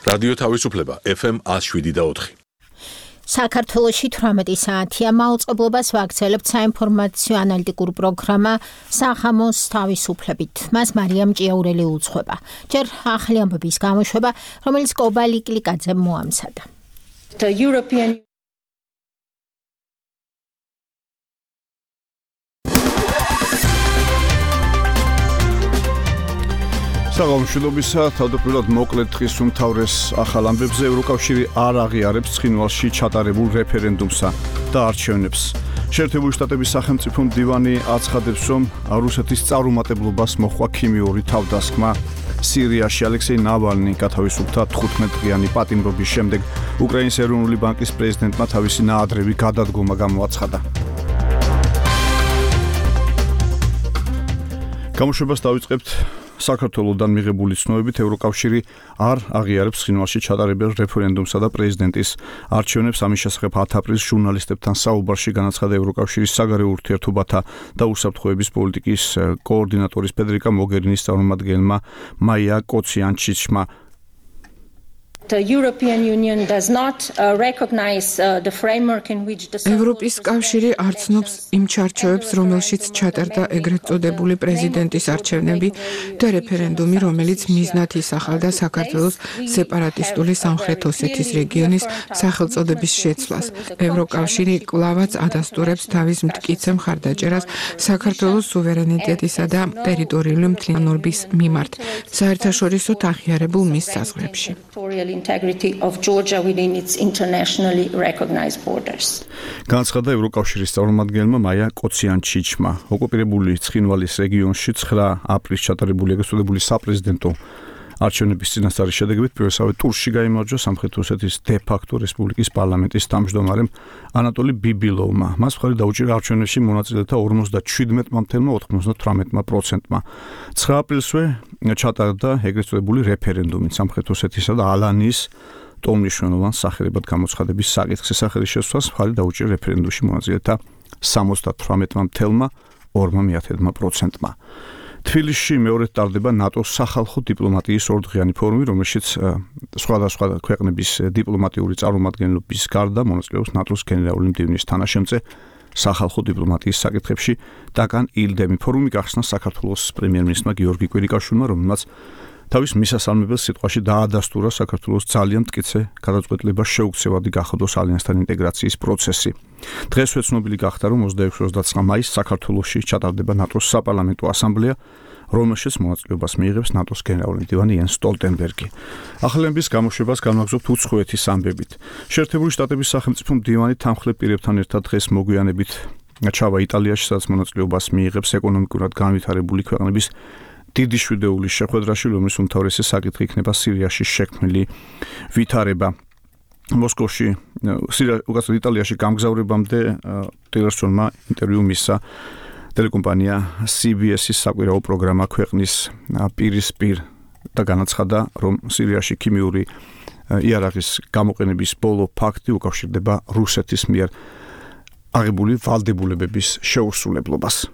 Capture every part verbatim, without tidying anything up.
რადიო თავისუფლება ეფ ემ one oh seven point four. საქართველოში თვრამეტი საათია მაუწყებლობას ვაგრძელებთ საინფორმაციო ანალიტიკურ პროგრამა სახამოს თავისუფლებით. მას მარიამ ჭიაურელი უძღვება. ჯერ ახალი ამბების გამოშვება, რომელიც კობალი კლიკაძემ მოამზადა. The European საგამშვიდობისა, თავდაპირველად მოკლედ დღის უმთავრეს ახალ ამბებზე ევროკავშირი არ აღიარებს ცხინვალში ჩატარებულ რეფერენდუმსა და არჩევნებს. შეერთებული შტატების სახელმწიფო მდივანი აცხადებს, რომ რუსეთის წარუმატებლობას მოჰყვა ქიმიური თავდასხმა. სირიაში ალექსეი ნავალნი გათავისუფლდა თხუთმეტ-დღიანი პატიმრობის შემდეგ. უკრაინის ეროვნული ბანკის პრეზიდენტმა თავისი ნაადრევი გადადგომა გამოაცხადა. გამოშვებას დავიწყებთ საქართველოსთან მიღებული ცნობებით. ევროკავშირი არ აღიარებს ცხინვალში ჩატარებულ რეფერენდუმსა და პრეზიდენტის არჩევნებს. ამის შესახებ ათი აპრილს ჟურნალისტებთან საუბარში განაცხადა ევროკავშირის საგარეო ურთიერთობათა და უსაფრთხოების პოლიტიკის კოორდინატორის ფედერიკა მოგერინის წარმომადგენელმა მაია კოციანჩიჩმა. The European Union does not uh, recognize uh, the framework in which the ევროპის კავშირი არ ცნობს იმ ჩარჩოებს, რომელშიც ჩატარდა ეგრეთ წოდებული პრეზიდენტის არჩევნები და რეფერენდუმი, რომელიც მიზნად ისახავდა საქართველოს სეპარატისტული სამხრეთ ოსეთის რეგიონის სახელწოდების შეცვლას. ევროკავშირი კვლავაც ადასტურებს თავის მტკიცე მხარდაჭერას საქართველოს სუვერენიტეტისა და ტერიტორიული მთლიანობის მიმართ, საერთაშორისო აღიარებულ მის საზღვრებში. integrity of Georgia within its internationally recognized borders. განაცხადა ევროკავშირის წარმომადგენელმა მაია კოციანჩიჩმა. ოკუპირებული ცხინვალის რეგიონში ცხრა აპრილს ჩატარებული ეგრეთ წოდებული საპრეზიდენტო არჩევნების წინასწარი შედეგებით პირველსავე ტურში გაიმარჯვა სამხრეთ ოსეთის დე-ფაქტო რესპუბლიკის პარლამენტის თავმჯდომარემ ანატოლი ბიბილოვმა. მას მხარი დაუჭირა არჩევნებში მონაწილეთა ორმოცდაშვიდმეტ მამთელმა ოთხმოცდათვრამეტ პროცენტმა. ცხრა აპრილსვე ჩატარდა ეგრეთ წოდებული რეფერენდუმი სამხრეთ ოსეთისა და ალანიის ტოლმნიშნულოვან სახელებად გამოცხადების საკითხის სახელი შესვლას მხარი დაუჭირა რეფერენდუმში მონაწილეთა სამოცდათვრამეტ მამთელმა ორმოცდაათი პროცენტმა. თბილისში მეორედ ტარდება ნატოს სახალხო დიპლომატიის ორდღიანი ფორუმი, რომელშიც სხვადასხვა ქვეყნების დიპლომატიური წარმომადგენლობის გარდა მონაწილეობს ნატოს გენერალური მდივნის თანაშემწე სახალხო დიპლომატიის საკითხებში დაკან ილდემი. ფორუმი გახსნა საქართველოს პრემიერ-მინისტრმა გიორგი კვირიკაშვილმა, რომელმაც თავის მისასალმებელ სიტყვაში დაადასტურა საქართველოს ძალიან მტკიცე გადაწყვეტილება შეუქცევადი გახადოს ალიანსთან ინტეგრაციის პროცესი. დღესვე ცნობილი გახდა, რომ ოცდაექვსი ოცდაცხრა მაისს საქართველოში ჩატარდება ნატოს საპარლამენტო ასამბლეა, რომელშიც მონაწილეობას მიიღებს ნატოს გენერალური მდივანი იენს სტოლტენბერგი. ახალების გამოშვებას განვაგრძობთ უცხოეთის ამბებით. შეერთებული შტატების სახელმწიფო მდივანი თანმხლებ პირებთან ერთად დღეს მოგვიანებით ჩავა იტალიაში, სადაც მონაწილეობას მიიღებს ეკონომიკურად განვითარებული ქვეყნების დიდი შვიდეულის შეხვედრაში, რომლის უმთავრესი საკითხი იქნება სირიაში შექმნილი ვითარება. მოსკოვში, უკაცრავად იტალიაში გამგზავრებამდე ტილერსონმა ინტერვიუ მისცა ტელეკომპანია სი ბი ეს-ის საკვირაო პროგრამა ქვეყნის პირისპირ და განაცხადა, რომ სირიაში ქიმიური იარაღის გამოყენების ბოლო ფაქტი უკავშირდება რუსეთის მიერ აღებული ვალდებულებების შეუსრულებლობას.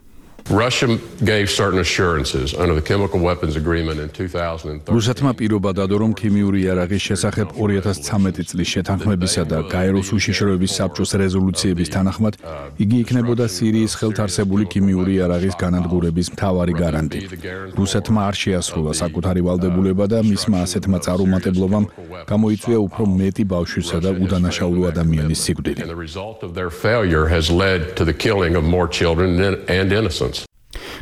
Russia gave certain assurances under the chemical weapons agreement in two thousand thirteen. რუსეთმა პირობა დადო, რომ ქიმიური იარაღის შესახებ ორი ათას ცხრამეტი წლის შეთანხმებისა და გაეროს უშიშროების საბჭოს რეზოლუციების თანახმად იგი იქნებოდა სირიის ხელთ არსებული ქიმიური იარაღის განადგურების მთავარი გარანტი. რუსეთმა არ შეასრულა საკუთარი ვალდებულება და მისმა ასეთმა წარუმატებლობამ გამოიწვია უფრო მეტი ბავშვისა და უდანაშაულო ადამიანის სიკვდილი. The result of their failure has led to the killing of more children and innocents.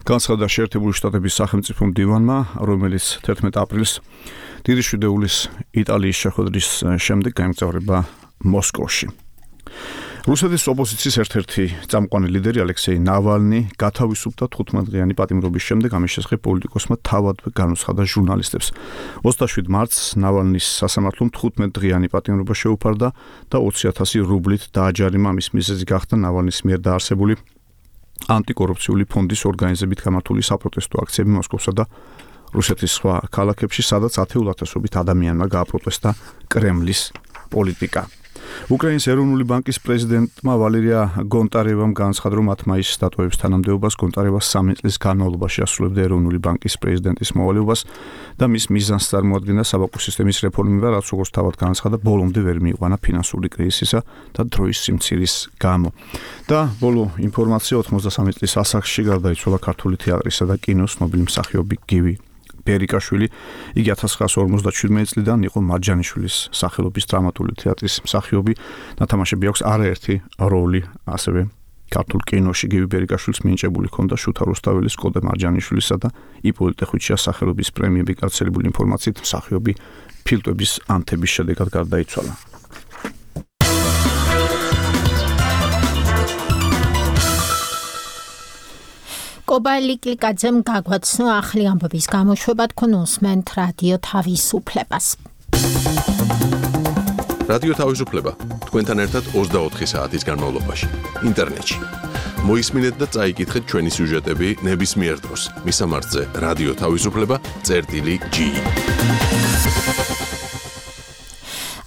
განაცხადა შეერთებული შტატების სახელმწიფო მდივანმა, რომელიც თერთმეტ აპრილს დიდი შვიდეულის იტალიის შეხვედრის შემდეგ გაემგზავრება მოსკოვში. რუსეთის ოპოზიციის ერთ-ერთი წამყვანი ლიდერი ალექსეი ნავალნი გათავისუფლდა თხუთმეტდღიანი პატიმრობის შემდეგ. ამის შესახებ პოლიტიკოსმა თავადვე განუცხადა ჟურნალისტებს. ოცდაშვიდ მარტს ნავალნის სასამართლომ თხუთმეტდღიანი პატიმრობა შეუფარდა და ოცი ათასი რუბლით დააჯარიმა. ამის მიზეზი გახდა ნავალნის მიერ დაარსებული ანტიკორუფციული ფონდის ორგანიზებით გამართული საპროტესტო აქციები მოსკოვსა და რუსეთის სხვა ქალაქებში, სადაც ათეულ ათასობით ადამიანმა გააპროტესტა კრემლის პოლიტიკა. უკრაინის ეროვნული ბანკის პრეზიდენტმა ვალერია გონტარევამ განაცხადა, რომ მათ მაისის დატოვების თანამდებობას გონტარევა სამი წლის განმავლობაში ასრულებდა ეროვნული ბანკის პრეზიდენტის მოვალეობას და მის მიზანს წარმოადგენდა საბანკო სისტემის რეფორმირება, რაც როგორც თავად განაცხადა, ბოლომდე ვერ მიიყვანა ფინანსური კრიზისისა და დროის სიმცირის გამო. და ბოლო ინფორმაცია ოცდამესამე წლის ასაკში გარდაიცვალა ქართული თეატრისა და კინოს ცნობილი მსახიობი გივი ბერიკაშვილი. იგი ათას ცხრაასი ორმოცდაჩვიდმეტი წლიდან იყო მარჯანიშვილის სახელობის დრამატული თეატრის მსახიობი. ნათამაშები აქვს არაერთი როლი ასევე ქართულ კინოში. გივი ბერიკაშვილს მინიჭებული ჰქონდა შუთა რუსთაველის, კოდე მარჯანიშვილისა და იპოლიტე ხვიჩიას სახელობის პრემიები. გაცილებული ინფორმაციით მსახიობი ფილტვების ანთების შედეგად გარდაიცვალა. კობალიკლიკაძემ გაგვაცნო ახალი ამბების გამოშვება, თქვენ უსმენთ რადიო თავისუფლებას. რადიო თავისუფლება თქვენთან ერთად ოცდაოთხი საათის განმავლობაში ინტერნეტში. მოისმინეთ და წაიკითხეთ ჩვენი სიუჟეტები ნებისმიერ დროს. მისამართზე რადიო თავისუფლება წერტილი ჯი.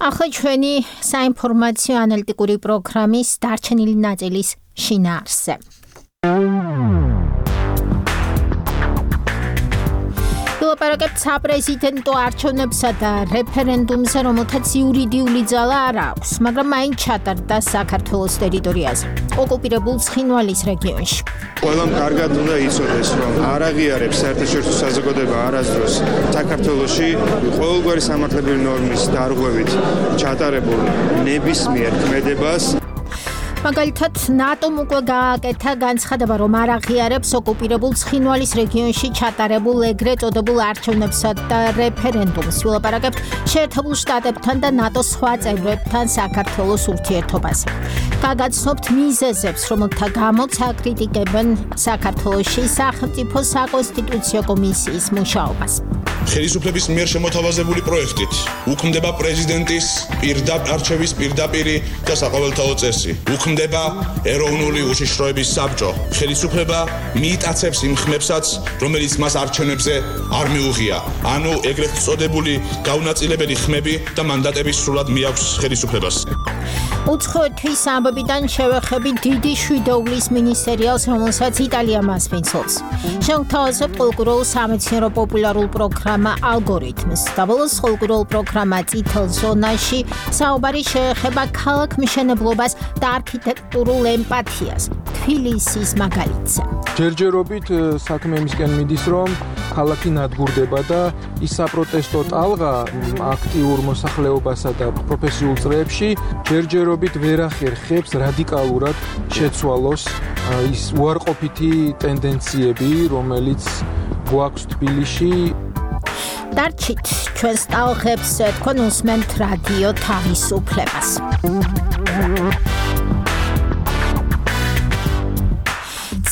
ახლა ჩვენი საინფორმაციო ანალიტიკური პროგრამის დარჩენილი ნაწილის შინაარსზე. ვილაპარაკებთ საპრეზიდენტო არჩევნებსა და რეფერენდუმზე, რომელთაც იურიდიული ძალა არ აქვს, მაგრამ მაინც ჩატარდა საქართველოს ტერიტორიაზე, ოკუპირებულ ცხინვალის რეგიონში. ყველამ კარგად უნდა იცოდეს, რომ არ აღიარებს საერთაშორისო საზოგადოება არასდროს საქართველოში ყოველგვარი სამართლებრივი ნორმის დარღვევით ჩატარებულ ნებისმიერ ქმედებას. მაგალითად, ნატომ უკვე გააკეთა განცხადება, რომ არ აღიარებს ოკუპირებულ ცხინვალის რეგიონში ჩატარებულ ეგრეთ წოდებულ არჩევნებსა და რეფერენდუმს. ვილაპარაკებთ შეერთებულ შტატებთან და ნატოს სხვა წევრებთან საქართველოს ურთიერთობაზე. გაგაცნობთ მიზეზებს, რომელთა გამოც აკრიტიკებენ საქართველოში სახელმწიფო საკონსტიტუციო კომისიის მუშაობას. ხელისუფლების მიერ შემოთავაზებული პროექტით უქმდება პრეზიდენტის პირდაპირ არჩევის პირდაპირი და საყოველთაო წესი. უქმდება ეროვნული უშიშროების საბჭო. ხელისუფლება მიიტაცებს იმ ხმებსაც, რომელიც მას არჩევნებზე არ მიუღია. ანუ ეგრეთ წოდებული გაუნაწილებელი ხმები და მანდატები სრულად მიაქვს ხელისუფლებას. უცხოეთის ამბებიდან შევეხებით დიდი შვიდეულის მინისერიალს, რომელსაც იტალია მასპინძლობს. შევთავაზებთ ყოლკურულ სამეცნიერო პოპულარულ პროგრამა ალგორითმს. და ბოლოს ყოლკურულ პროგრამა წითელ ზონაში საუბარი შეეხება ქალაქმშენებლობას და არქიტექტურულ ემპათიას. თბილისის მაგალითზე. ჯერჯერობით საქმე იმისკენ მიდის, რომ ქალაქი ნადგურდება და ის საპროტესტო ტალღა აქტიურ მოსახლეობასა და პროფესიულ წრეებში ჯერჯერობით ვერ ახერხებს რადიკალურად შეცვალოს ის უარყოფითი ტენდენციები, რომელიც გვაქვს თბილისში. დარჩით ჩვენს ტალღებს, თქვენ უსმენთ რადიო თავისუფლებას.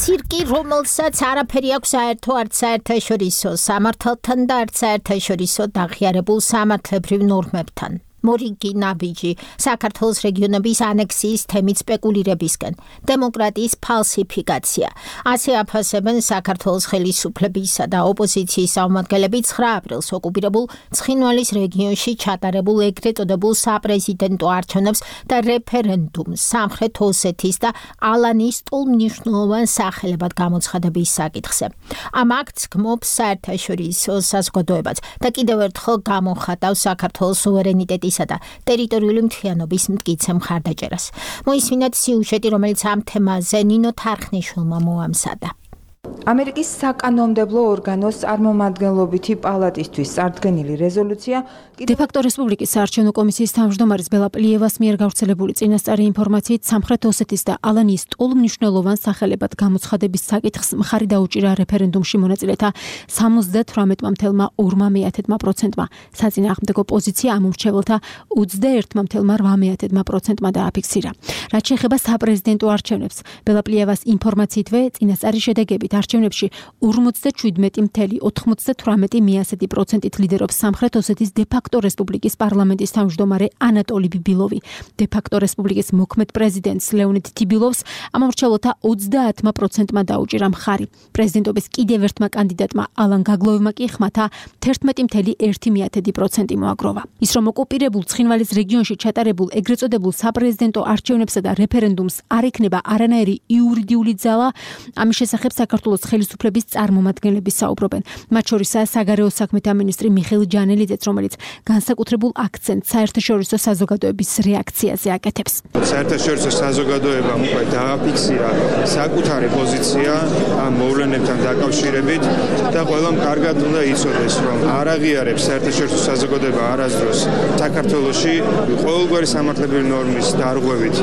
ცირკი, რომელსაც არაფერი აქვს საერთო არც საერთაშორისო სამართალთან და არც საერთაშორისო დაღიარებულ სამართლებრივ ნორმებთან. მორიგი ნაბიჯი საქართველოს რეგიონების ანექსიის თემით სპეკულირებისკენ, დემოკრატიის ფალსიფიკაცია. ასე აფასებენ საქართველოს ხელისუფლებისა და ოპოზიციის წარმომადგენლები ცხრა აპრილს ოკუპირებულ ცხინვალის რეგიონში ჩატარებულ ეგრეთ წოდებულ საპრეზიდენტო არჩევნებს და რეფერენდუმს სამხრეთ ოსეთის და ალანის ტოლმნიშნულოვან სახელებად გამოცხადების საკითხზე. ამ აქტს გმობს საერთაშორისო საზოგადოებაც და კიდევ ერთხელ გამოხატავს საქართველოს სუვერენიტეტის და ტერიტორიული მთლიანობის მტკიცე მხარდაჭერას. მოისმინეთ სიუჟეტი, რომელიც ამ თემაზე ნინო თარხნიშვილმა მოამზადა. ამერიკის საკანონმდებლო ორგანოს წარმომადგენლობითი პალატისთვის წარდგენილი რეზოლუცია დე-ფაქტო რესპუბლიკის საარჩევნო კომისიის თავმჯდომარის ბელა პლიევას მიერ გავრცელებული წინასწარი ინფორმაციით სამხრეთ ოსეთის და ალანის ტოლმნიშნულოვან სახელებად გამოცხადების საკითხს მხარი დაუჭირა რეფერენდუმში მონაწილეთა სამოცდათვრამეტ მათეულმა ორმა მეათედმა პროცენტმა. საწინააღმდეგო პოზიცია ამ მრჩეველთა ოცდაერთმა მათეულმა რვა მეათედმა პროცენტმა დააფიქსირა. რაც შეეხება საპრეზიდენტო არჩევნებს, ბელა პლიევას ინფორმაციითვე წინასწარი შედეგებით არჩევნებში ორმოცდაშვიდმეტი целых ოთხმოცდათვრამეტი პროცენტით ლიდერობს სამხრეთ ოსეთის დე-ფაქტო რესპუბლიკის პარლამენტის თავმჯდომარე ანატოლი ბიბილოვი. დე-ფაქტო რესპუბლიკის მოქმედ პრეზიდენტს ლეონიდ ტიბილოვს ამომრჩევლთა ოცდაათმა პროცენტმა დაუჭირა მხარი. პრეზიდენტობის კიდევ ერთმა კანდიდატმა ალან გაგლოვმა კი ხმათა თერთმეტი целых ერთი პროცენტი მოაგროვა. ის რომ ოკუპირებულ ცხინვალის რეგიონში ჩატარებულ ეგრეთ წოდებულ საპრეზიდენტო არჩევნებსა და რეფერენდუმს არ ექნება არანაირი იურიდიული ძალა, ამის შესახებ საქართველოს ხელისუფლების წარმომადგენლები საუბრობენ. მათ შორისაა საგარეო საქმეთა მინისტრი მიხეილ ჯანელიძეც, რომელიც განსაკუთრებულ აქცენტს საერთაშორისო საზოგადოების რეაქციაზე აკეთებს. საერთაშორისო საზოგადოებამ უკვე დააფიქსირა საკუთარი პოზიცია ამ მოვლენებთან დაკავშირებით და ყველამ კარგად უნდა იცოდეს, რომ არ აღიარებს საერთაშორისო საზოგადოება არასდროს საქართველოში ყოველგვარი სამართლებრივი ნორმის დარღვევით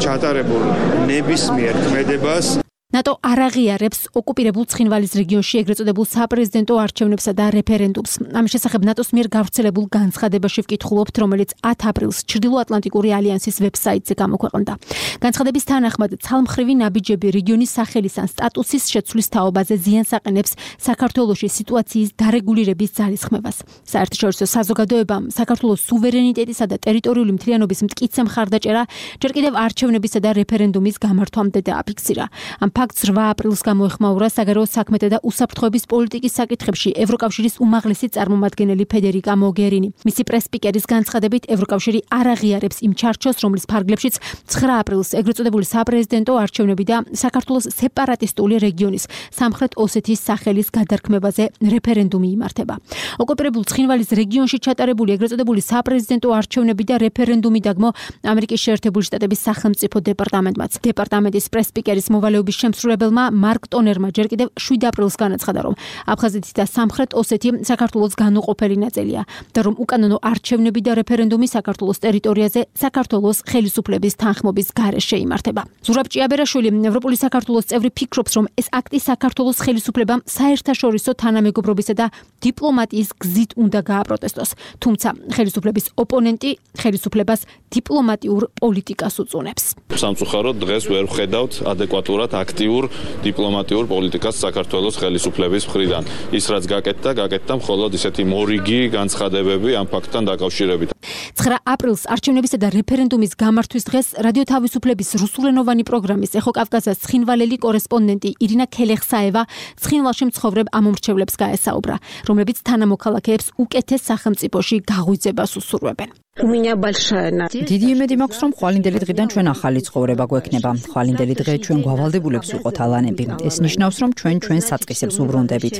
ჩატარებულ ნებისმიერ ქმედებას. ნატო არ აღიარებს ოკუპირებულ ცხინვალის რეგიონში ეგრეთ წოდებულ საპრეზიდენტო არჩევნებსა და რეფერენდუმს. ამის შესახებ ნატოს მიერ გავრცელებულ განცხადებაში ვკითხულობთ, რომელიც ათი აპრილს ჩრდილოატლანტიკური ალიანსის ვებსაიტზე გამოქვეყნდა. განცხადების თანახმად, ცალმხრივი ნაბიჯები რეგიონის სახელის ან სტატუსის შეცვლის თაობაზე ზიანს აყენებს საქართველოში სიტუაციის დარეგულირების ძალისხმევას. საერთაშორისო საზოგადოებამ საქართველოს სუვერენიტეტისა და ტერიტორიული მთლიანობის მტკიცე მხარდაჭერა ჯერ კიდევ არჩევნებისა და რეფერენდუმის გამართვამდე დააფიქსირა. ამ ფაქტს რვა აპრილს გამოეხმაურა საგარეო საქმეთა და უსაფრთხოების პოლიტიკის საკითხებში ევროკავშირის უმაღლესი წარმომადგენელი ფედერიკა მოგერინი. მისი პრესპიკერის განცხადებით, ევროკავშირი არ აღიარებს იმ ჩარჩოს, რომლის ფარგლებშიც ცხრა აპრილს ეგრეთ წოდებული საპრეზიდენტო არჩევნები და საქართველოს სეპარატისტული რეგიონის სამხრეთ ოსეთის სახელის გადარქმევაზე რეფერენდუმი იმართება. ოკუპირებულ ცხინვალის რეგიონში ჩატარებული ეგრეთ წოდებული საპრეზიდენტო არჩევნები და რეფერენდუმი დაგმო ამერიკის შეერთებული შტატების სახელმწიფო დეპარტამენტმაც. დეპარტამენტის პრესპიკერის მოვალეობის შემსრულებელმა მარკ ტონერმა ჯერ კიდევ შვიდ აპრილს განაცხადა, რომ აფხაზეთი და სამხრეთ ოსეთი საქართველოს განუყოფელი ნაწილია და რომ უკანონო არჩევნები და რეფერენდუმი საქართველოს ტერიტორიაზე საქართველოს ხელისუფლების თანხმობის გარეშე იმართება. ზურაბ ჭიაბერაშვილი, ევროპული საქართველოს წევრი, ფიქრობს, რომ ეს აქტი საქართველოს ხელისუფლებამ საერთაშორისო თანამეგობრობისა და დიპლომატიის გზით უნდა გააპროტესტოს. თუმცა ხელისუფლების ოპონენტი ხელისუფლებას დიპლომატიურ პოლიტიკას უწუნებს. სამწუხაროდ დღეს ვერ ვხედავთ ადეკვატურად აქტიურ დიპლომატიურ პოლიტიკას საქართველოს ხელისუფლების მხრიდან. ის რაც გაკეთდა, გაკეთდა მხოლოდ ისეთი მორიგი განცხადებები ამ ფაქტთან დაკავშირებით. ცხრა აპრილს არჩევნებისა და რეფერენდუმის გამართვის დღეს რადიო თავისუფლების რუსულენოვანი პროგრამის ეხო კავკასიის ცხინვალელი კორესპონდენტი ირინა ქელეხსაევა ცხინვალში მცხოვრებ ამომრჩევლებს გაესაუბრა, რომლებიც თანამოქალაქეებს უკეთეს სახელმწიფოში გაღვიძებას უსურვებენ. დიდი იმედი მაქვს, რომ ხვალინდელი დღიდან ჩვენ ახალი ცხოვრება გვექნება. ხვალინდელი დღე ჩვენ გავალდებულებს ვიყოთ ალანები. ეს ნიშნავს, რომ ჩვენ ჩვენ საწყისებს უბრუნდებით.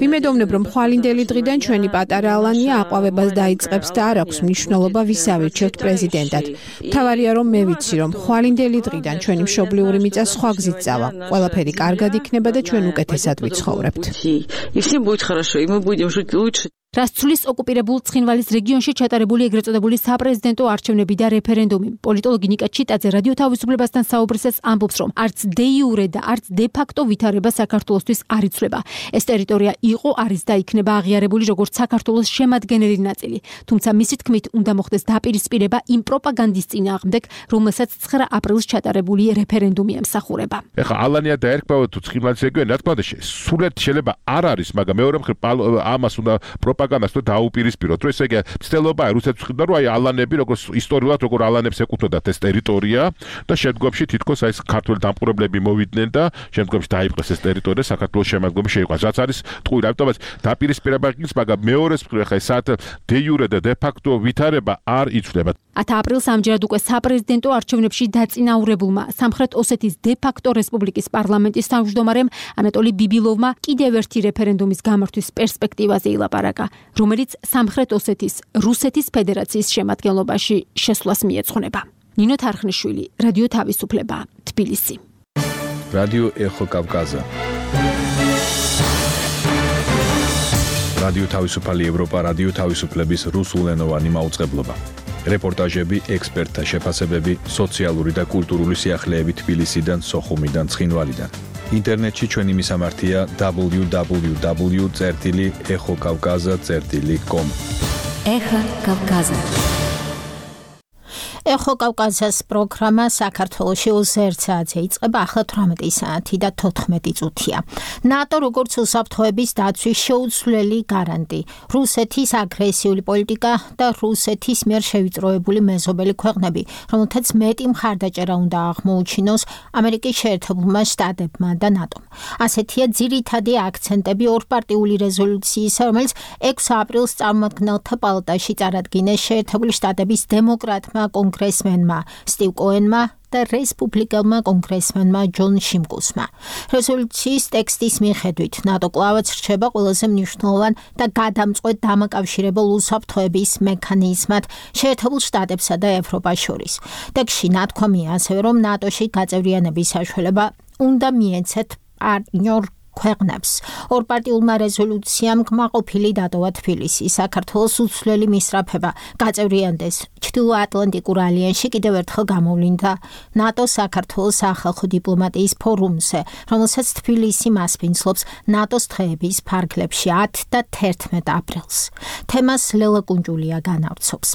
ვიმედოვნებ, რომ ხვალინდელი დღიდან ჩვენი პატარა ალანია აყვავებას დაიწყებს და არ აქვს მნიშვნელობა ვის ავირჩევთ პრეზიდენტად. მთავარია, რომ მე ვიცი, რომ ხვალინდელი დღიდან ჩვენი მშობლიური მიწა სხვა გზით წავა. ყველაფერი კარგად იქნება და ჩვენ უკეთესად ვიცხოვრებთ. რაც ცვლის ოკუპირებულ ცხინვალის რეგიონში ჩატარებული ეგრეთ წოდებული საპრეზიდენტო არჩევნები და რეფერენდუმი. პოლიტოლოგი ნიკა ჩიტაძე რადიო თავისუფლებასთან საუბრისას ამბობს, რომ არც დე იურე და არც დე ფაქტო ვითარება საქართველოსთვის არ იცვლება. ეს ტერიტორია იყო, არის და იქნება აღიარებული როგორც საქართველოს შემადგენელი ნაწილი. თუმცა მისი თქმით უნდა მოხდეს დაპირისპირება იმ პროპაგანდის წინააღმდეგ, რომელსაც ცხრა აპრილს ჩატარებული რეფერენდუმი ემსახურება. ეხლა ალანია დაერქმევა თუ ცხინვალის რეგიონი, რა თქმა უნდა, სულად შეიძლება არ არის, მაგრამ მეორე მხრივ ამას უნდა პროპაგანდას თუ დაუპირისპიროთ, რომ ესე იგი ცდილობაა რუსეთს ხედა, რომ აი ალანები როგორც ისტორიულად როგორ ალანებს ეკუთვნოდათ ეს ტერიტორია და შემდგომში თითქოს აი ქართველ დამპყრობლები მოვიდნენ და შემდგომში დაიპყრეს ეს ტერიტორია საქართველოს შემადგენლობაში შეიყვანს. რაც არის ტყუილი, ამიტომაც დაპირისპირება იქნება, მაგრამ მეორეს მხრივ ხა ესათ დე იურე და დე ფაქტო ვითარება არ იცვლება. ათი აპრილს ამჯერად უკვე საპრეზიდენტო არჩევნებში დაწინაურებულმა სამხრეთ ოსეთის დე ფაქტო რესპუბლიკის პარლამენტის თავმჯდომარემ ანატოლი ბიბილოვმა კიდევ ერთი რეფერენდუმის გამართვის პერსპექტივაზე ილაპარაკა, რომელიც სამხრეთ ოსეთის რუსეთის ფედერაციის შემადგენლობაში შესვლას მიეძღვნება. ნინო თარხნიშვილი, რადიო თავისუფლება, თბილისი. რადიო ეხო კავკაზა. რადიო თავისუფალი ევროპა, რადიო თავისუფლების რუსულენოვანი მაუწყებლობა. რეპორტაჟები, ექსპერტთა შეფასებები, სოციალური და კულტურული სიახლეები თბილისიდან, სოხუმიდან, ცხინვალიდან. ინტერნეტში ჩვენი მისამართია დაბლიუ დაბლიუ დაბლიუ წერტილი ეხო კავკაზა წერტილი კომ. ეხა კავკაზა. ეხო კავკასიის პროგრამა საქართველოში ოცდაერთი საათზე იწყება, ახლა თვრამეტი საათი და თოთხმეტი წუთია. ნატო როგორც უსაფრთხოების დაცვის შეუცვლელი გარანტი, რუსეთის აგრესიული პოლიტიკა და რუსეთის მიერ შევიწროებული მეზობელი ქვეყნები, რომელთაც მეტი მხარდაჭერა უნდა აღმოუჩინოს ამერიკის შეერთებულმა შტატებმა და ნატომ. ასეთია ძირითადი აქცენტები ორპარტიული რეზოლუციისა, რომელიც ექვსი აპრილს წარმომადგენელთა პალატაში წარადგინეს შეერთებული შტატების დემოკრატმა კონგრესმენმა სტივ კოენმა და რესპუბლიკელმა კონგრესმენმა ჯონ შიმკუსმა. რეზოლუციის ტექსტის მიხედვით, ნატო კვლავაც რჩება ყველაზე მნიშვნელოვან და გადამწყვეტ დამაკავშირებელ უსაფრთხოების მექანიზმად შეერთებულ შტატებსა და ევროპას შორის. ტექსტში ნათქვამია ასევე, რომ ნატოში გაწევრიანების საშუალება უნდა მიეცეთ პარტნიორ ქვეყნებს. ორპარტიულმა რეზოლუციამ კმაყოფილი დატოვა თბილისი. საქართველოს უცვლელი მისწრაფება გაწევრიანდეს ჩრდილოატლანტიკურ ალიანსში კიდევ ერთხელ გამოვლინდა ნატოს საქართველოს სახალხო დიპლომატიის ფორუმზე, რომელსაც თბილისი მასპინძლობს ნატოს დღეების ფარგლებში ათი და თერთმეტი აპრილს. თემას ლელა კუნჯულია განავრცობს.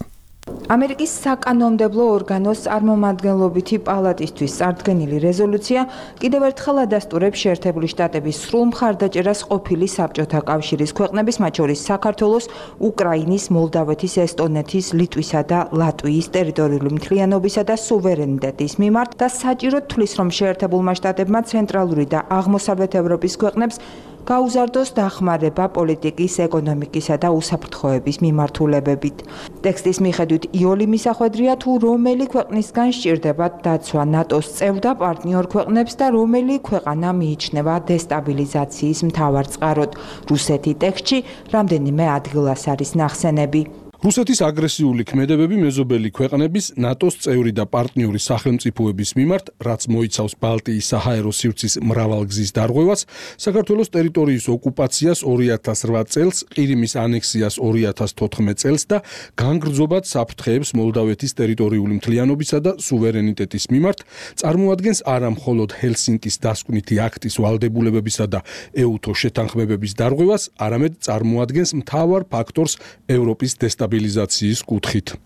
ამერიკის საკანონმდებლო ორგანოს წარმომადგენლობითი პალატისთვის წარდგენილი რეზოლუცია კიდევ ერთხელ ადასტურებს შეერთებული შტატების სრულ მხარდაჭერას ყოფილი საბჭოთა კავშირის ქვეყნების, მათ შორის საქართველოს, უკრაინის, მოლდავეთის, ესტონეთის, ლიტვისა და ლატვიის ტერიტორიული მთლიანობისა და სუვერენიტეტის მიმართ და საჭიროდ თვლის, რომ შეერთებულმა შტატებმა ცენტრალური და აღმოსავლეთ ევროპის ქვეყნებს გაუზარდოს დახმარება პოლიტიკის, ეკონომიკისა და უსაფრთხოების მიმართულებებით. ტექსტის მიხედვით იოლი მისახვედრია, თუ რომელი ქვეყნისგან სჭირდებათ დაცვა ნატოს წევრ და პარტნიორ ქვეყნებს და რომელი ქვეყანა მიიჩნევა დესტაბილიზაციის მთავარ წყაროდ. რუსეთი ტექსტში რამდენიმე ადგილას არის ნახსენები. რუსეთის აგრესიული ქმედებები მეზობელი ქვეყნების, ნატოს წევრი და პარტნიორი სახელმწიფოების მიმართ, რაც მოიცავს ბალტიის საჰაერო სივრცის მრავალგზის დარღვევას, საქართველოს ტერიტორიის ოკუპაციას ორი ათას რვა წელს, ყირიმის ანექსიას ორი ათას თოთხმეტ წელს და განგრძობად საფრთხეებს მოლდავეთის ტერიტორიული მთლიანობისა და სუვერენიტეტის მიმართ, წარმოადგენს არა მხოლოდ ჰელსინკის დასკვნითი აქტის ვალდებულებებისა და ეუთო შეთანხმებების დარღვევას, არამედ წარმოადგენს მთავარ ფაქტორს ევროპის დესტაბილიზაციის სტაბილიზაციის კუთხით.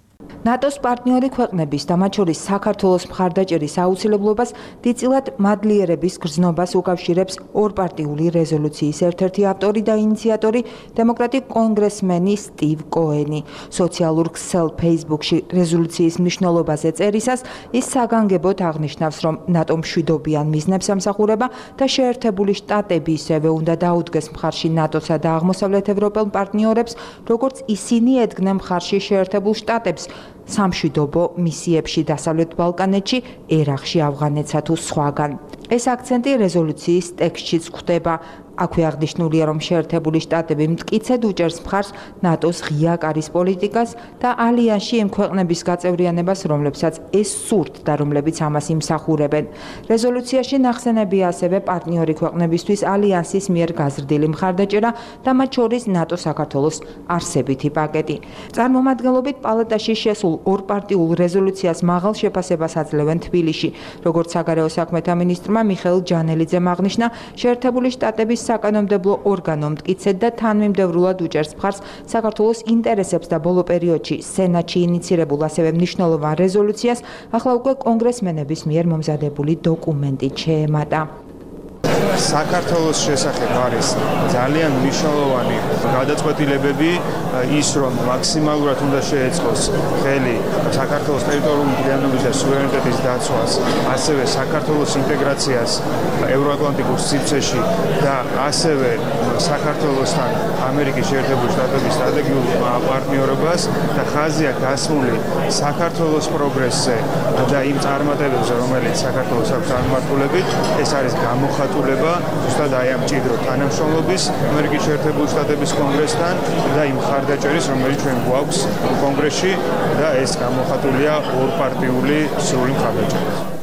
ნატოს პარტნიორი ქვეყნების და მათ შორის საქართველოს მხარდაჭერის აუცილებლობას დიდწილად მადლიერების გრძნობას უკავშირებს ორპარტიული რეზოლუციის ერთ-ერთი ავტორი და ინიციატორი დემოკრატიკ კონგრესმენი სტივ კოენი. სოციალურ ქსელ Facebook-ში რეზოლუციის მნიშვნელობაზე წერისას ის საგანგებოდ აღნიშნავს, რომ ნატომ მშვიდობიან მიზნებს ამსახურება და შეერთებული შტატები ისევე უნდა დაუდგეს მხარში ნატოსა და აღმოსავლეთ ევროპელ პარტნიორებს, როგორც ისინი ედგნენ მხარში შეერთებულ შტატებს სამშვიდობო მისიებში დასავლეთ ბალკანეთში, ერაყში, ავღანეთსა თუ სხვაგან. ეს აქცენტი რეზოლუციის ტექსტშიც გვხვდება. აქვე აღნიშნულია, რომ შეერთებული შტატები მტკიცედ უჭერს მხარს ნატოს ღია კარის პოლიტიკას და ალიანსში იმ ქვეყნების გაწევრიანებას, რომლებსაც ეს სურთ და რომლებიც ამას იმსახურებენ. რეზოლუციაში ნახსენებია ასევე პარტნიორი ქვეყნებისთვის ალიანსის მიერ გაზრდილი მხარდაჭერა და მათ შორის ნატო საქართველოს არსებითი პაკეტი. წარმომადგენლობით პალატაში შესულ ორპარტიულ რეზოლუციას მაღალ შეფასებას აძლევენ თბილისში. როგორც საგარეო საქმეთა მინისტრმა მიხეილ ჯანელიძემ აღნიშნა, შეერთებული შტატების საკანონმდებლო ორგანო მტკიცედ და თანმიმდევრულად უჭერს მხარს საქართველოს ინტერესებს და ბოლო პერიოდში სენატში ინიცირებულ ასევე მნიშვნელოვან რეზოლუციას ახლა უკვე კონგრესმენების მიერ მომზადებული დოკუმენტი შეემატა. საქართველოს შესახებ არის ძალიან მნიშვნელოვანი გადაწყვეტილებები, ის რომ მაქსიმალურად უნდა შეეწყოს ხელი საქართველოს ტერიტორიული მთლიანობის და სუვერენიტეტის დაცვას, ასევე საქართველოს ინტეგრაციას ევროატლანტიკურ სივრცეში და ასევე საქართველოსთან ამერიკის შეერთებული შტატების სტრატეგიულ პარტნიორობას და ხაზია გასმული საქართველოს პროგრესზე და იმ წარმატებებზე, რომელიც საქართველოს აქვს წარმართულებით, ეს არის გამოხატულება ზუსტად აი ამ მჭიდრო თანამშრომლობის ამერიკის შეერთებული შტატების კონგრესთან და იმ მხარდაჭერის, რომელიც ჩვენ გვაქვს კონგრესში და ეს გამოხატულია ორპარტიული სრული მხარდაჭერით.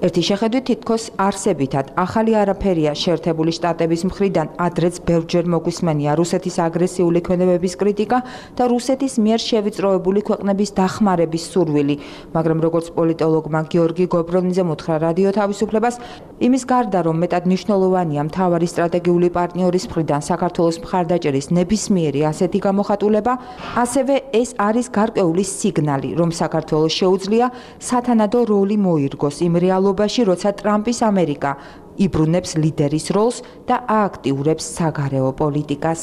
ერთი შეხედვით თითქოს არსებითად ახალი არაფერია შეერთებული შტატების მხრიდან, ადრეც ბევრჯერ მოგვისმენია რუსეთის აგრესიული ქმედებების კრიტიკა და რუსეთის მიერ შევიწროებული ქვეყნების დახმარების სურვილი, მაგრამ როგორც პოლიტოლოგმა გიორგი გობრონიძემ უთხრა რადიო თავისუფლებას, იმის გარდა რომ მეტად მნიშვნელოვანია მთავარი სტრატეგიული პარტნიორის მხრიდან საქართველოს მხარდაჭერის ნებისმიერი ასეთი გამოხატულება, ასევე ეს არის გარკვეული სიგნალი, რომ საქართველოს შეუძლია სათანადო როლი მოირგოს იმ რეალობაში, როცა ტრამპის ამერიკა იბრუნებს ლიდერის როლს და ააქტიურებს საგარეო პოლიტიკას.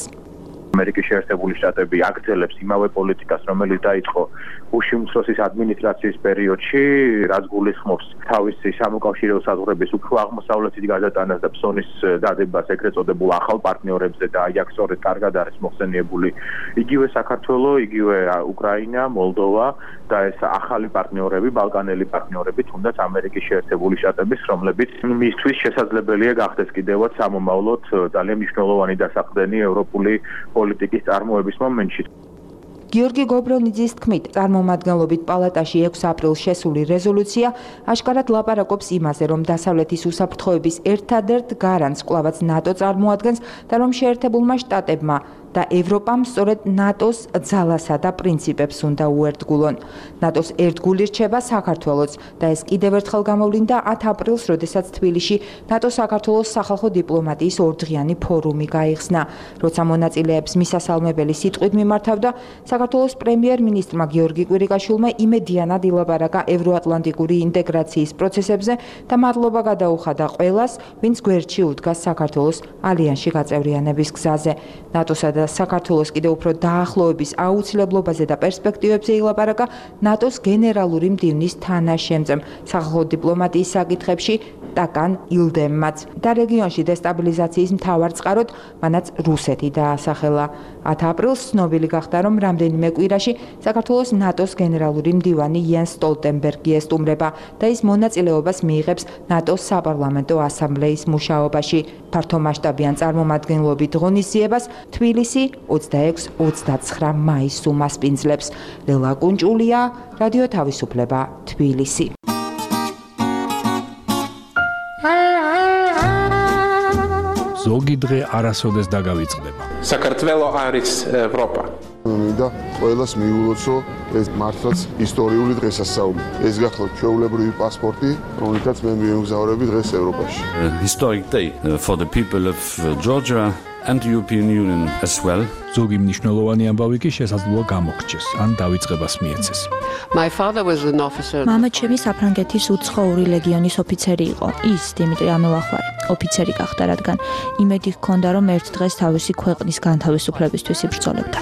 ამერიკის შეერთებული შტატები აგრძელებს იმავე პოლიტიკას, რომელიც დაიწყო ბუში უმცროსის ადმინისტრაციის პერიოდში, რაც გულისხმობს თავისი სამოკავშირეო საზღვრების უფრო აღმოსავლეთით გადატანას და ფსონის დადებას ეგრეთ წოდებულ ახალ პარტნიორებზე და აქ სწორედ კარგად არის მოხსენიებული იგივე საქართველო, იგივე უკრაინა, მოლდოვა და ეს ახალი პარტნიორები, ბალკანელი პარტნიორები, თუნდაც ამერიკის შეერთებული შტატების, რომლებიც მისთვის შესაძლებელია გახდეს კიდევაც სამომავლოდ ძალიან მნიშვნელოვანი დასაყრდენი ევროპული პოლიტიკის წარმოების მომენტში. გიორგი გობრონიძის თქმით, წარმომადგენლობით პალატაში ექვსი აპრილს შესული რეზოლუცია აშკარად ლაპარაკობს იმაზე, რომ დასავლეთის უსაფრთხოების ერთადერთ გარანტს კვლავაც ნატო წარმოადგენს და რომ შეერთებულმა შტატებმა და ევროპამ სწორედ ნატოს ძალასა და პრინციპებს უნდა უერთგულონ. ნატოს ერთგული რჩება საქართველოც და ეს კიდევ ერთხელ გამოვლინდა ათი აპრილს, როდესაც თბილისში ნატო-საქართველოს სახალხო დიპლომატიის ორდღიანი ფორუმი გაიხსნა. როცა მონაწილეებს მისასალმებელი სიტყვით მიმართავდა, საქართველოს პრემიერ-მინისტრმა გიორგი კვირიკაშვილმა იმედიანად ილაპარაკა ევროატლანტიკური ინტეგრაციის პროცესებზე და მადლობა გადაუხადა ყველას, ვინც გვერდში უდგას საქართველოს ალიანსში გაწევრიანების გზაზე. ნატოსა და საქართველოს კიდევ უფრო დაახლოების აუცილებლობაზე და პერსპექტივებზე ილაპარაკა ნატოს გენერალური მდივნის თანაშემწემ სახალხო დიპლომატიის საკითხებში ტაკან ილდემმაც და რეგიონში დესტაბილიზაციის მთავარ წყაროდ მანაც რუსეთი დაასახელა. ათი აპრილს ცნობილი გახდა, რომ რამდენიმე კვირაში საქართველოს ნატოს გენერალური მდივანი იენს სტოლტენბერგი ესტუმრება და ის მონაწილეობას მიიღებს ნატოს საპარლამენტო ასამბლეის მუშაობაში. ფართომასშტაბიან წარმომადგენლობით ღონისძიებას თბილისი ოცდაექვსი ოცდაცხრა მაისს უმასპინძლებს. ლელა კუნჭულია, რადიო თავისუფლება, თბილისი. ზოგი დღე არასოდეს დაგავიწყდება. საქართველო არის ევროპა. მინდა ყველას მიულოცო ეს მართლაც ისტორიული დღესასწაული. ეს გახლავთ ჩვეულებრივი პასპორტი, რომელთაც მე მიემგზავრები დღეს ევროპაში. Historic day for the people of Georgia and the European Union as well. ზოგი მნიშვნელოვანი ამბავი კი შესაძლოა გამოგრჩეს, ან დავიწყებას მიეცეს. My father was an officer. მამა ჩემი საფრანგეთის უცხოური ლეგიონის ოფიცერი იყო. ის დიმიტრი ამელახვარი ოფიცერი გახდა, რადგან იმედი ჰქონდა, რომ ერთ დღეს თავისი ქვეყნის განთავისუფლებისთვის იბრძოლებდა.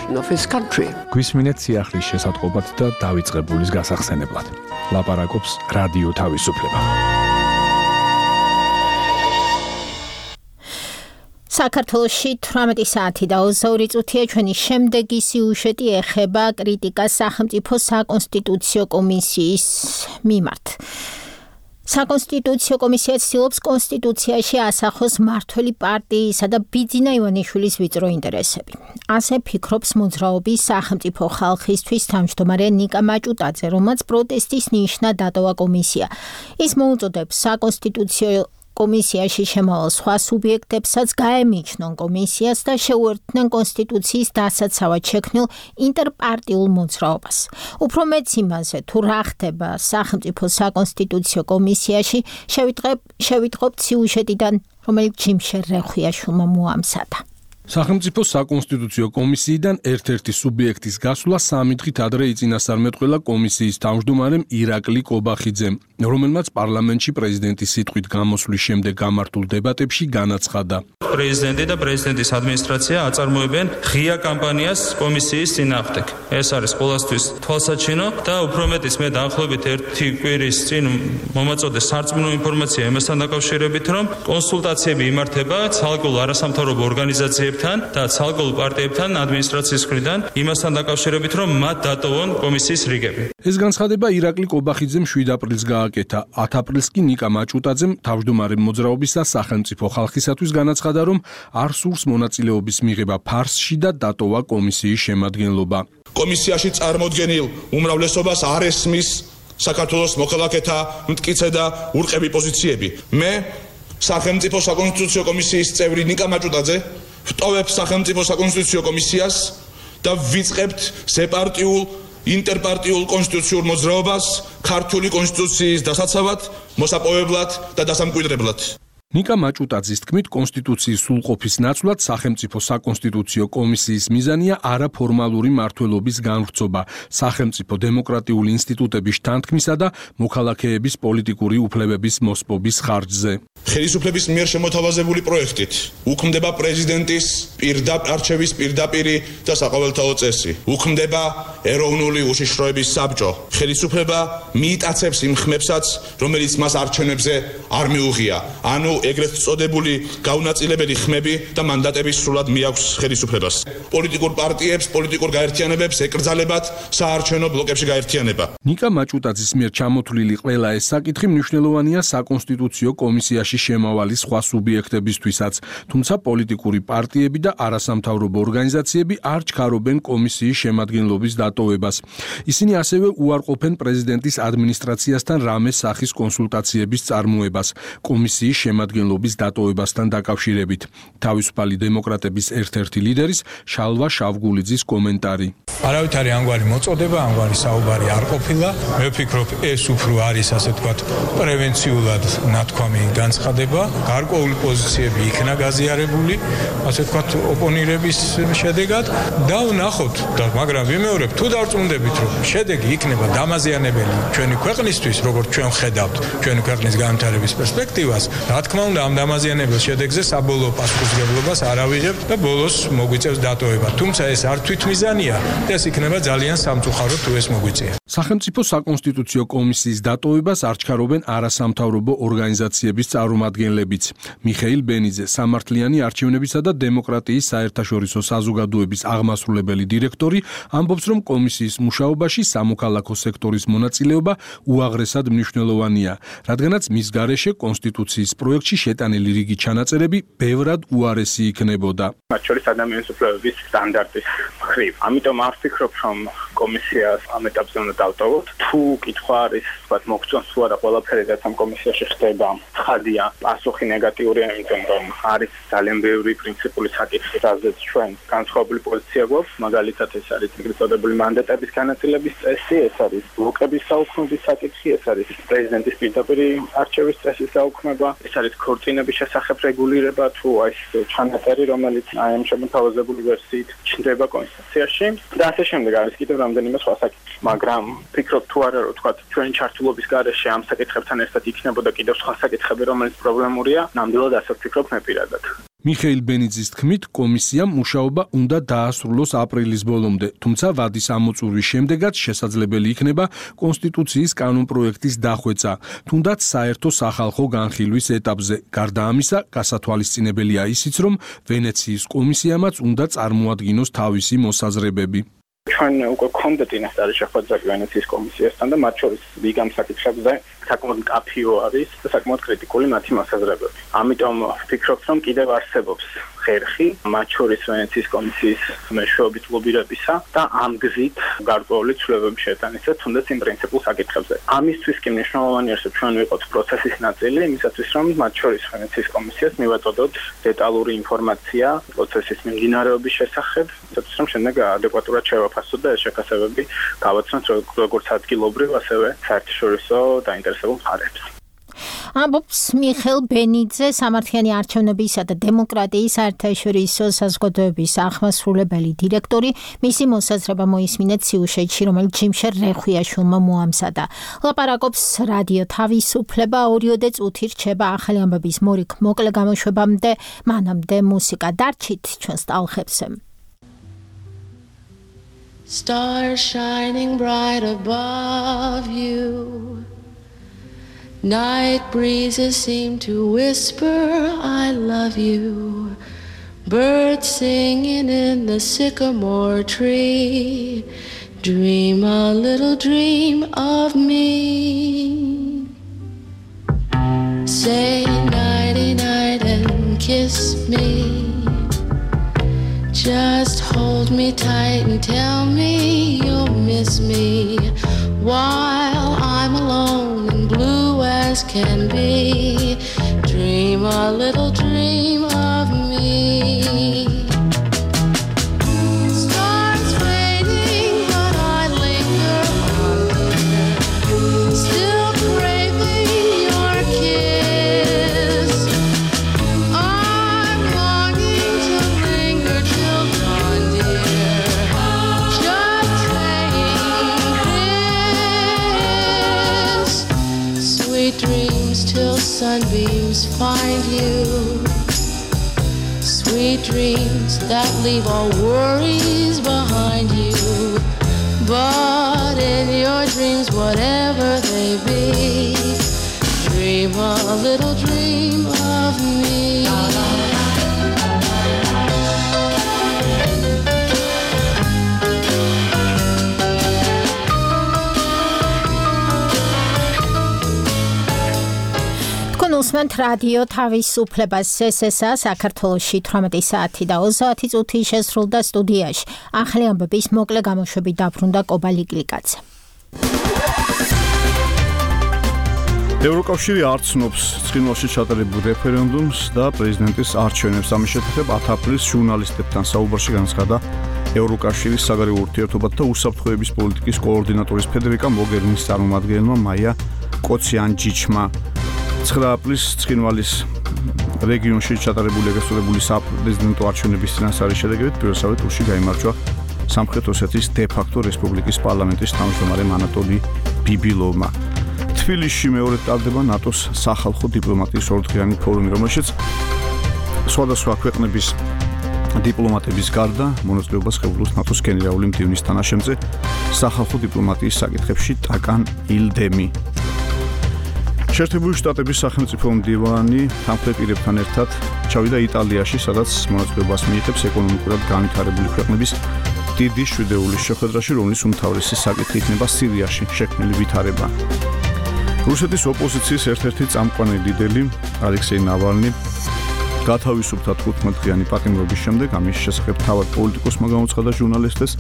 გვისმინეთ სიახლის შესატყობად და დავიწყებულის გასახსენებლად. ლაპარაკობს რადიო თავისუფლება. საქართველოში თვრამეტი საათი და ოცდაორი წუთია. ჩვენი შემდეგი სიუჟეტი ეხება კრიტიკას სახელმწიფო საკონსტიტუციო კომისიის მიმართ. საკონსტიტუციო კომისია ცდილობს კონსტიტუციაში ასახოს მმართველი პარტიისა და ბიძინა ივანიშვილის ვიწრო ინტერესები. ასე ფიქრობს მოძრაობის სახელმწიფო ხალხისთვის თავმჯდომარე ნიკა მაჭუტაძე, რომელსაც პროტესტის ნიშნად დატოვა კომისია. ის მოუწოდებს საკონსტიტუციო კომისიაში შემავალ სხვა სუბიექტებსაც გაემიჯნონ კომისიას და შეუერთდნენ კონსტიტუციის დასაცავად შექმნილ ინტერპარტიულ მოძრაობას. უფრო მეც იმაზე, თუ რა ხდება სახელმწიფო საკონსტიტუციო კომისიაში, შევიტყობთ სიუჟეტიდან, რომელიც ჯიმშერ რეხვიაშვილმა მოამზადა. სახელმწიფო საკონსტიტუციო კომისიიდან ერთ-ერთი სუბიექტის გასვლა სამი დღით ადრე იწინასწარმეტყველა კომისიის თავმჯდომარემ ირაკლი კობახიძემ, რომელმაც პარლამენტში პრეზიდენტის სიტყვით გამოსვლის შემდეგ გამართულ დებატებში განაცხადა. პრეზიდენტი და პრეზიდენტის ადმინისტრაცია აწარმოებენ ღია კამპანიას კომისიის წინააღმდეგ. ეს არის ყოველთვის თვალსაჩინო და უფრო მეტიც მე დაახლოებით ერთი კვირის წინ მომაწოდე სარწმუნო ინფორმაცია იმასთან დაკავშირებით, რომ კონსულტაციები იმართება ცალკეულ არასამთავრობო ორგანიზაციებთან და ცალკეულ პარტიებთან ადმინისტრაციის მხრიდან იმასთან დაკავშირებით, რომ მათ დატოვონ კომისიის რიგები. ეს განცხადება ირაკლი კობახიძემ შვიდ აპრილს გააკეთა. ათი აპრილს კი ნიკა მაჭუტაძემ თავმჯდომარე მოძრაობის და სახელმწიფო ხალხისათვის განაცხადა, რომ არ სურს მონაწილეობის მიღება ფარსში და დატოვა კომისიის შემადგენლობა. კომისიაში წარმოდგენილ უმრავლესობას არ ესმის საქართველოს მოქალაქეთა მტკიცე და ურყევი პოზიციები. მე სახელმწიფო საკონსტიტუციო კომისიის წევრი ნიკა მაჭუტაძე ვტოვებ სახელმწიფო საკონსტიტუციო კომისიას და ვიწყებთ ზეპარტიულ ინტერპარტიულ კონსტიტუციურ მოძრაობას ქართული კონსტიტუციის დასაცავად, მოსაპოვებლად და დასამკვიდრებლად. ნიკა მაჭუტაძის თქმით, კონსტიტუციის სრულყოფის ნაცვლად სახელმწიფო საკონსტიტუციო კომისიის მიზანია არაფორმალური მმართველობის განვრცობა, სახელმწიფო დემოკრატიული ინსტიტუტების შთანთქმისა და მოქალაქეების პოლიტიკური უფლებების მოსპობის ხარჯზე. ხელისუფლების მიერ შემოთავაზებული პროექტით უქმდება პრეზიდენტის პირდაპირ არჩევის პირდაპირი და საყოველთაო წესი. უქმდება ეროვნული უშიშროების საბჭო. ხელისუფლება მიიტაცებს იმ ხმებსაც, რომელიც მას არჩევნებზე არ მიუღია. ანუ ეგრეთ წოდებული გაუნაწილებელი ხმები და მანდატების სრულად მიაქვს ხელისუფლებას. პოლიტიკურ პარტიებს, პოლიტიკურ გაერთიანებებს ეკრძალებათ საარჩევნო ბლოკებში გაერთიანება. ნიკა მაჭუტაძის მიერ ჩამოთვლილი ყველა ეს საკითხი მნიშვნელოვანია საკონსტიტუციო კომისიაში შემავალი სხვა სუბიექტებისთვისაც, თუმცა პოლიტიკური პარტიები და არასამთავრობო ორგანიზაციები არ ჩქარობენ კომისიის შემადგენლობის დატოვებას. ისინი ასევე უარყოფენ პრეზიდენტის ადმინისტრაციასთან რამე სახის კონსულტაციების წარმოებას კომისიის შემადგენლობის დატოვებასთან დაკავშირებით. თავისუფალი დემოკრატების ერთ-ერთი ლიდერის შალვა შავგულიძის კომენტარი. არავითარი ამგვარი მოწოდება, ამგვარი საუბარი არ ყოფილა. მე ვფიქრობ, ეს უფრო არის ასე ვთქვათ პრევენციულად ნათქვამი განცხადება. გარკვეული პოზიციები იქნა გაზიარებული, ასე ვთქვათ ოპონირების შედეგად და ვნახოთ და მაგრამ ვიმეორებ, თუ დარწმუნდებით, რომ შედეგი იქნება დამაზიანებელი ჩვენი ქვეყნისთვის, როგორც ჩვენ ხედავთ, ჩვენი ქვეყნის განვითარების პერსპექტივას, რა თქმა უნდა, ამ დამაზიანებელ შედეგზე საბოლოო პასუხისმგებლობას არ ავიღებთ და ბოლოს მოგვიწევს დატოვება. თუმცა ეს არ თვითმიზანია. ეს იქნება ძალიან სამწუხარო თუ ეს მოგვიწია. სახელმწიფო საკონსტიტუციო კომისიის დატოვებას არ ჩქარობენ არასამთავრობო ორგანიზაციების წარმომადგენლებიც. მიხეილ ბენიძე, სამართლიანი არჩევნებისა და დემოკრატიის საერთაშორისო საზოგადოების აღმასრულებელი დირექტორი, ამბობს, რომ კომისიის მუშაობაში სამოქალაქო სექტორის მონაწილეობა უაღრესად მნიშვნელოვანია, რადგანაც მის გარეშე კონსტიტუციის პროექტში შეტანილი რიგი ჩანაწერები ბევრად უარესი იქნებოდა. მათ შორის ადამიანის უფლებების სტანდარტის მხრივ. ამიტომ არ ვფიქრობ, რომ კომისიას ამ ეტაპზე უნდა დავტოვოთ. თუ კითხვა არის, ვთქვათ, მოგწონს თუ არა ყველაფერი, რაც ამ კომისიაში ხდება, ცხადია, პასუხი ნეგატიურია, იმიტომ რომ არის ძალიან ბევრი პრინციპული საკითხი, რაზეც ჩვენ განსხვავებული პოზიცია გვაქვს. მაგალითად, ეს არის ეგრეთ წოდებული მანდატების განაწილების წესი, ეს არის ბლოკების საუქმების საკითხი, ეს არის პრეზიდენტის პირდაპირ არჩევის წესის საუქმება, ეს არის ქორწინების შესახებ რეგულირება, თუ აი ეს ჩანაწერი, რომელიც აი ამ შემოთავაზებული ვერსიით ჩნდება კონსტიტუციაში და ასე შემდეგ არის კიდევ რამდენიმე სხვა საკითხი. მაგრამ ფიქრობ თუ არა, რომ თქვა ჩვენი ჩართულობის გარეშე ამ საკითხებთან ერთად იქნებოდა კიდევ სხვა საკითხები, რომელიც პრობლემურია, ნამდვილად ასე ვფიქრობ მე პირადად. მიხეილ ბენიძის თქმით, კომისიამ მუშაობა უნდა დაასრულოს აპრილის ბოლომდე, თუმცა ვადის ამოწურვის შემდეგაც შესაძლებელი იქნება კონსტიტუციის კანონპროექტის დახვეწა, თუნდაც საერთო სახალხო განხილვის ეტაპზე. გარდა ამისა, გასათვალისწინებელია ისიც, რომ ვენეციის კომისიამაც უნდა წარმოადგინოს თავისი მოსაზრებები. ჩვენ უკვე გქონდა წინასწარი შეხვედრა ვენეციის კომისიასთან და მათ შორის რიგ ამ საკითხებზე საკმაოდ მკაფიო არის და საკმაოდ კრიტიკული მათი მოსაზრებები. ამიტომ ვფიქრობ, რომ კიდევ არსებობს ხერხი მათ შორის ვენეციის კომისიის მეშვეობით ლობირებისა და ამ გზით გარკვეული ცვლილებების შეტანისა თუნდაც იმ პრინციპულ საკითხებზე. ამისთვის კი მნიშვნელოვანი არის, რომ ჩვენ ვიყოთ პროცესის ნაწილი, იმისათვის რომ მათ შორის ვენეციის კომისიას მივაწოდოთ დეტალური ინფორმაცია პროცესის მიმდინარეობის შესახებ, იმისათვის რომ შემდეგ ადეკვატურად შევაფასოთ და ეს შეფასებები გავაცნოთ როგორც ადგილობრივ, ასევე საერთაშორისო დაინტერესებულ მხარებს. ამბობს მიხეილ ბენიძე, სამართლიანი არჩევნებისა და დემოკრატიის საერთაშორისო საზოგადოების აღმასრულებელი დირექტორი. მისი მოსაზრება მოისმინეთ სიუჟეტში, რომელიც ჯიმშერ რეხვიაშვილმა მოამზადა. ლაპარაკობს რადიო თავისუფლება, ორიოდე წუთი რჩება ახალი ამბების მორიგ მოკლე გამოშვებამდე, მანამდე მუსიკა დარჩით ჩვენს ტალღებზე. Stars shining bright above you. Night breezes seem to whisper, I love you. Birds singing in the sycamore tree. Dream a little dream of me. Say nighty night and kiss me. Just hold me tight and tell me you'll miss me while I'm can be. Dream a little dream of me. Stars fading, but I linger on here, still craving your kiss. I'm longing to linger till dawn, dear, just saying this. Sweet dreams till sunbeams find you. Sweet dreams that leave all worries behind you. But in your dreams, whatever they be, dream a little dream of me. უსმენთ რადიო თავისუფლებას ესესა საქართველოში თვრამეტი საათი და ოცდაათი წუთი შესრულდა სტუდიაში. ახალი ამბების მოკლე გამოშვებით დაბრუნდა კობა ლიკლიკაძე. ევროკავშირი არ ცნობს ცხინვალში ჩატარებულ რეფერენდუმს და პრეზიდენტის არჩევნებს. ამის შესახებ ათი აპრილის ჟურნალისტებთან საუბარში განცხადა ევროკავშირის საგარეო ურთიერთობათა და უსაფრთხოების პოლიტიკის კოორდინატორის ფედერიკა მოგერინის წარმომადგენელმა მაია კოციანჯიჩმა. ცხრა აპრილის ცხინვალის რეგიონში ჩატარებული ეგრესწოდებული საპრეზიდენტო არჩევნების წინასწარი შედეგებით პირველსავე ტურში გაიმარჯვა სამხრეთ ოსეთის დე-ფაქტო რესპუბლიკის პარლამენტის თავმჯდომარემ ანატოლი ბიბილოვმა. თბილისში მეორედ ტარდება ნატოს სახალხო დიპლომატიის ორდღიანი ფორუმი, რომელშიც სხვადასხვა ქვეყნების დიპლომატების გარდა მონაწილეობას ხელმძღვანელობს ნატოს გენერალური მდივნის თანაშემწე სახალხო დიპლომატიის საკითხებში ტაკან ილდემი. შეერთებული შტატების სახელმწიფო მდივანი თანხმდე პირებთან ერთად ჩავიდა იტალიაში, სადაც მონაწილეობას მიიღებს ეკონომიკურად განვითარებული ქვეყნების დიდი შვიდეულის შეხვედრაში, რომლის უმთავრესი საკითხი იქნება სირიაში შექმნილი ვითარება. რუსეთის ოპოზიციის ერთ-ერთი წამყვანი ლიდერი ალექსეი ნავალნი გათავისუფლდა თხუთმეტდღიანი პატიმრობის შემდეგ. ამის შესახებ თავად პოლიტიკოსმა გამოცხადა ჟურნალისტებს.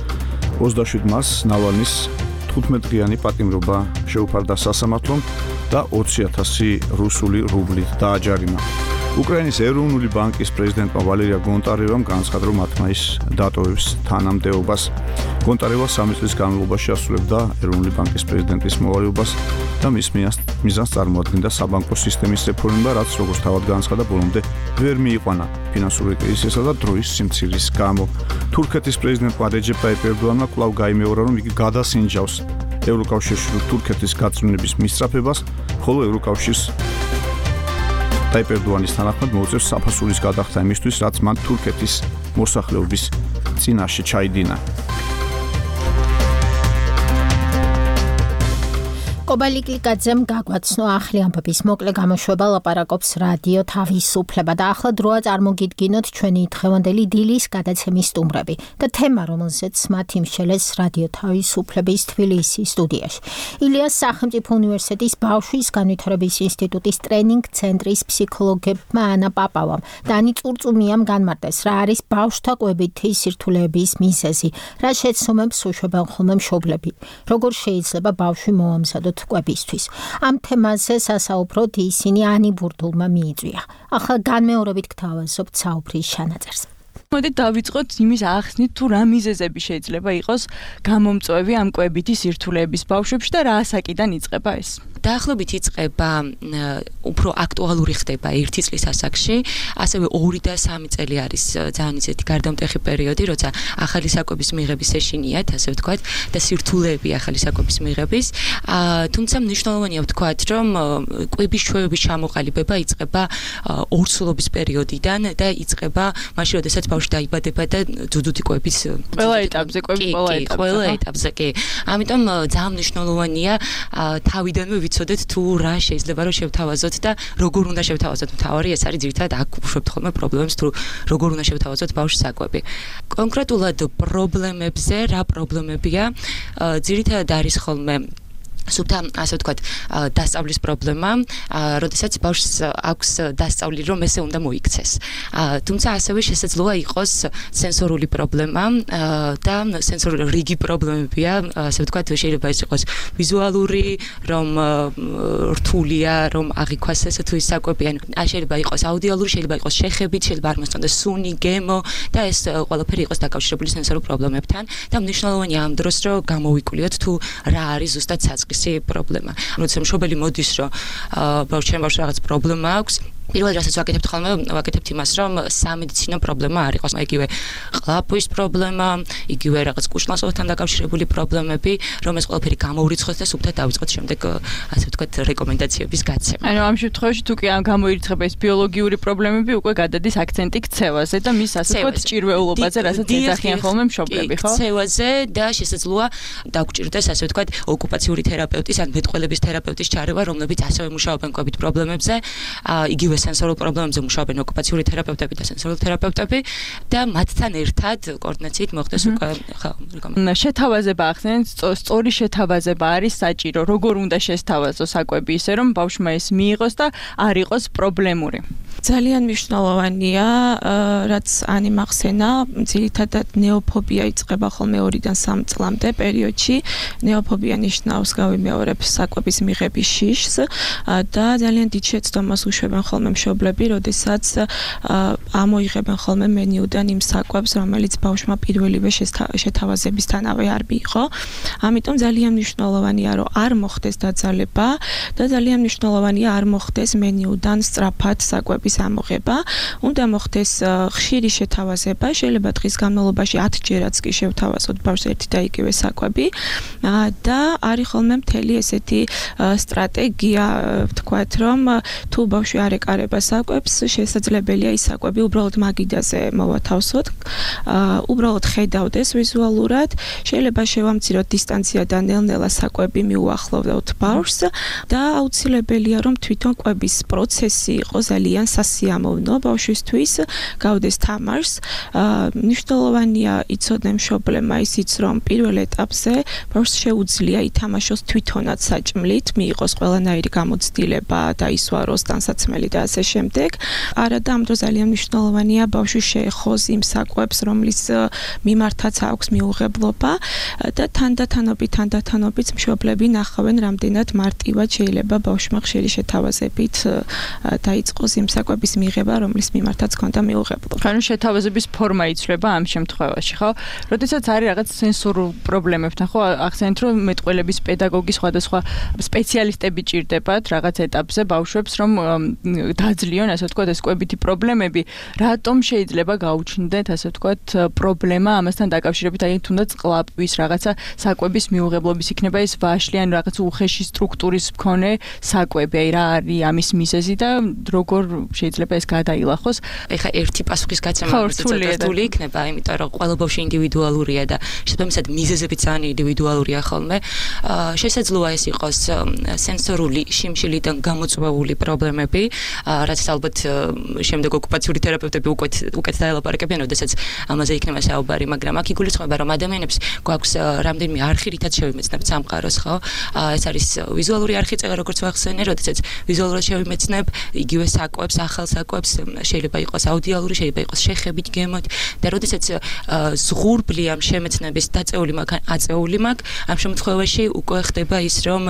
ოცდაშვიდ მარტს ნავალნის თხუთმეტდღიანი პატიმრობა შეუფარდა სასამართლომ და ოცი ათასი რუსული რუბლით დააჯარიმა. უკრაინის ეროვნული ბანკის პრეზიდენტმა ვალერია გონტარევამ განაცხადა, რომ ათ მაისს დატოვებს თანამდებობას. გონტარევა სამი წლის განმავლობაში ასრულებდა ეროვნული ბანკის პრეზიდენტის მოვალეობას და მის მიზანს წარმოადგენდა საბანკო სისტემის რეფორმა, რაც როგორც თავად განაცხადა, ბოლომდე ვერ მიიყვანა ფინანსური კრიზისისა და დროის სიმცირის გამო. თურქეთის პრეზიდენტმა რეჯეპ ტაიპ ერდოანმა კვლავ გაიმეორა, რომ იგი გადასინჯავს ევროკავშირში თურქეთის გაწმენდების მისწრაფებას, ხოლო ევროკავშირს ტაიპ ერდოანის თანახმად მოუწევს საფასურის გადახდა იმისთვის, რაც მან თურქეთის მოსახლეობის წინაშე ჩაიდინა. კობა ლიკლიკაძემ გაგვაცნო ახალი ამბების მოკლე გამოშვება ლაპარაკობს რადიო თავისუფლება და ახლა დროა წარმოგიდგინოთ ჩვენი დღევანდელი დილის გადაცემის სტუმრები და თემა, რომელზეც მათი მსჯელეს რადიო თავისუფლების თბილისის სტუდიაში. ილიას სახელმწიფო უნივერსიტეტის ბავშვის განვითარების ინსტიტუტის ტრენინგ ცენტრის ფსიქოლოგებმა ანა პაპავამ და ანი წურწუმიამ განმარტეს, რა არის ბავშვთა კვებითი სირთულეების მიზეზი, რა შეცდომებს უშვებენ ხოლმე მშობლები, როგორ შეიძლება ბავშვი მოამზადოთ კვებისთვის. ამ თემაზე სასაუბროდ ისინი ანი ბურდულმა მიიწვია. ახლა განმეორებით გთავაზობთ საუბრის ჩანაწერს. მოდით დავიწყოთ იმის ახსნით, თუ რა მიზეზები შეიძლება იყოს გამომწვევი ამ კვებითი სირთულეების ბავშვებში და რა ასაკიდან იწყება ეს. დაახლოებით იწყება უფრო აქტუალური ხდება ერთი წლის ასაკში, ასევე ორი და სამი წელი არის ძალიან ისეთი გარდამტეხი პერიოდი, როცა ახალი საკვების მიღების ეშინიათ, ასე ვთქვათ, და სირთულეები ახალი საკვების მიღების. თუმცა მნიშვნელოვანია ვთქვათ, რომ კვების ჩვევების ჩამოყალიბება იწყება ორსულობის პერიოდიდან და იწყება მაშინ, როდესაც ბავშვი დაიბადება და ძუძუდი კვების ყველა ეტაპზე, კვების ყველა ეტაპზე. ყველა ეტაპზე, კი. ამიტომ ძალიან მნიშვნელოვანია თავიდანვე ვიცოდეთ თუ რა შეიძლება რომ შევთავაზოთ და როგორ უნდა შევთავაზოთ. მთავარი ეს არის ძირითადად აქ უშვებთ ხოლმე პრობლემებს, თუ როგორ უნდა შევთავაზოთ ბავშვის საკვები. კონკრეტულად პრობლემებზე, რა პრობლემებია, ძირითადად არის ხოლმე სუფთა ასე ვთქვათ დასწავლის პრობლემა, როდესაც ბავშვს აქვს დასწავლი, რომ ესე უნდა მოიქცეს. თუმცა ასევე შესაძლოა იყოს სენსორული პრობლემა და სენსორული რიგი პრობლემებია, ასე ვთქვათ, შეიძლება ეს იყოს ვიზუალური, რომ რთულია, რომ აღიქვას ესე თუ ის საკვები, ან შეიძლება იყოს აუდიალური, შეიძლება იყოს შეხებით, შეიძლება არ მოსწონდეს სუნი, გემო და ეს ყველაფერი იყოს დაკავშირებული სენსორულ პრობლემებთან და მნიშვნელოვანია ამ დროს რომ გამოვიკვლიოთ თუ რა არის ზუსტად საწყისი პრობლემა. როცა მშობელი მოდის, რომ ბავშვთან ბავშვს რაღაც პრობლემა აქვს, პირველად რასაც ვაკეთებთ ხოლმე, ვაკეთებთ იმას, რომ სამედიცინო პრობლემა არ იყოს, იგივე ყლაპვის პრობლემა, იგივე რაღაც კუშნასოვთან დაკავშირებული პრობლემები, რომ ეს ყველაფერი გამოურიცხოთ და სუფთად დავიწყოთ შემდეგ, ასე ვთქვათ, რეკომენდაციების გაცემა. ანუ ამ შემთხვევაში თუ კი გამოირიცხება ეს ბიოლოგიური პრობლემები, უკვე გადადის აქცენტი ქცევაზე და მის ასე ვთქვათ ჭირვეულობაზე, რასაც ეძახიან ხოლმე მშობლები, ხო? ქცევაზე და შესაძლოა დაგჭირდეს, ასე ვთქვათ, ოკუპაციური თერაპევტის ან მეტყველების თერაპევტის ჩარევა, რომლებიც ასევე მუშაობენ კვებით პრობლემებზე, იგივე სენსორულ პრობლემებზე მუშაობენ ოკუპაციური თერაპევტები და სენსორული თერაპევტები და მათთან ერთად კოორდინაციით მოხდეს უკვე ხო რეკომენდაცია. შეთავაზება ახსენეთ, სწორი შეთავაზება არის საჭირო. როგორ უნდა შესთავაზოს საკვები ისე რომ ბავშვმა ეს მიიღოს და არ იყოს პრობლემური. ძალიან მნიშვნელოვანია, რაც ანი მახსენა, ძირითადად ნეოფობია იწყება ხოლმე ორიდან სამ წლამდე პერიოდში. ნეოფობია ნიშნავს გავიმეორებ საკვების მიღების შიშს და ძალიან დიდ შეცდომას უშვებენ ხოლმე მშობლები, როდესაც ამოიღებენ ხოლმე მენიუდან იმ საკვებს, რომელიც ბავშვმა პირველივე შეთავაზებისთანავე არ მიიღო. ამიტომ ძალიან მნიშვნელოვანია, რომ არ მოხდეს დაძალება და ძალიან მნიშვნელოვანია არ მოხდეს მენიუდან სწრაფად საკვების ამოღება. უნდა მოხდეს ხშირი შეთავაზება, შეიძლება დღის განმავლობაში ათ ჯერაც კი შევთავაზოთ ბავშვს ერთი და იგივე საკვები და არის ხოლმე მთელი ესეთი სტრატეგია, ვთქვათ, რომ თუ ბავშვი არ ეკარება საკვებს, შესაძლებელია ის საკვები უბრალოდ მაგიდაზე მოვათავსოთ, უბრალოდ ხედავდეს ვიზუალურად, შეიძლება შევამციროთ დისტანცია და ნელ-ნელა საკვები მიუახლოვდეთ ბავშვს და აუცილებელია რომ თვითონ კვების პროცესი იყოს ძალიან სასიამოვნო ბავშვისთვის, გავდეს თამაშს. მნიშვნელოვანია იცოდნენ მშობლებმა ისიც, რომ პირველ ეტაპზე ბავშვს შეუძლია ითამაშოს თვითონაც საჭმლით, მიიღოს ყველანაირი გამოცდილება და ისვაროს ტანსაცმელი და ასე შემდეგ. არა და ამ დროს ძალიან მნიშვნელოვანია ბავშვი შეეხოს იმ საკვებს, რომლის მიმართაც აქვს მიუღებლობა და თანდათანობით თანდათანობით მშობლები ნახავენ, რამდენად მარტივად შეიძლება ბავშვმა ხშირი შეთავაზებით დაიწყოს იმ საკვების მიღება, რომლის მიმართაც ჰქონდა მიუღებლობა. ანუ შეთავაზების ფორმა იცვლება ამ შემთხვევაში, ხო? როდესაც არის რაღაც სენსორულ პრობლემებთან, ხო, ახსენეთ, რომ მეტყველების პედაგოგი სხვადასხვა სპეციალისტები ჭირდებათ რაღაც ეტაპზე ბავშვებს, რომ დაძლიონ, ასე ვთქვათ, ეს კვებითი პრობლემები, რატომ შეიძლება გაუჩნდეთ, ასე ვთქვათ, პრობლემა ამასთან დაკავშირებით, აი თუნდაც ყლაპვის რაღაცა საკვების მიუღებლობის იქნება ეს ვაშლი ან რაღაც უხეში სტრუქტურის მქონე საკვები, აი რა არის ამის მიზეზი და როგორ შეიძლება ეს გადაილახოს. ეხა ერთი პასუხის გაცემა რთული იქნება, იმიტომ რომ ყველა ბავშვი ინდივიდუალურია და შესაბამისად მიზეზები ძალიან ინდივიდუალურია ხოლმე. შესაძლოა ეს იყოს სენსორული შიმშილიდან გამოწვეული პრობლემები, რაც ალბათ შემდეგ ოკუპაციური თერაპევტები უკვე უკეთ დაელაპარაკებიან, როდესაც ამაზე იქნება საუბარი, მაგრამ აქ იგულისხმება, რომ ადამიანებს გვაქვს რამდენიმე არხი, რითაც შევიმეცნებთ სამყაროს, ხო? ეს არის ვიზუალური არხი, წეგა როგორც ვახსენე, როდესაც ვიზუალურად შევიმეცნებ იგივე საკვებს, ახალ საკვებს, შეიძლება იყოს აუდიალური, შეიძლება იყოს შეხებით, გემოთ და როდესაც ზღურბლი ამ შემეცნების დაწეული მაგ აწეული მაგ, ამ შემთხვევაში უკვე ხდება ის, რომ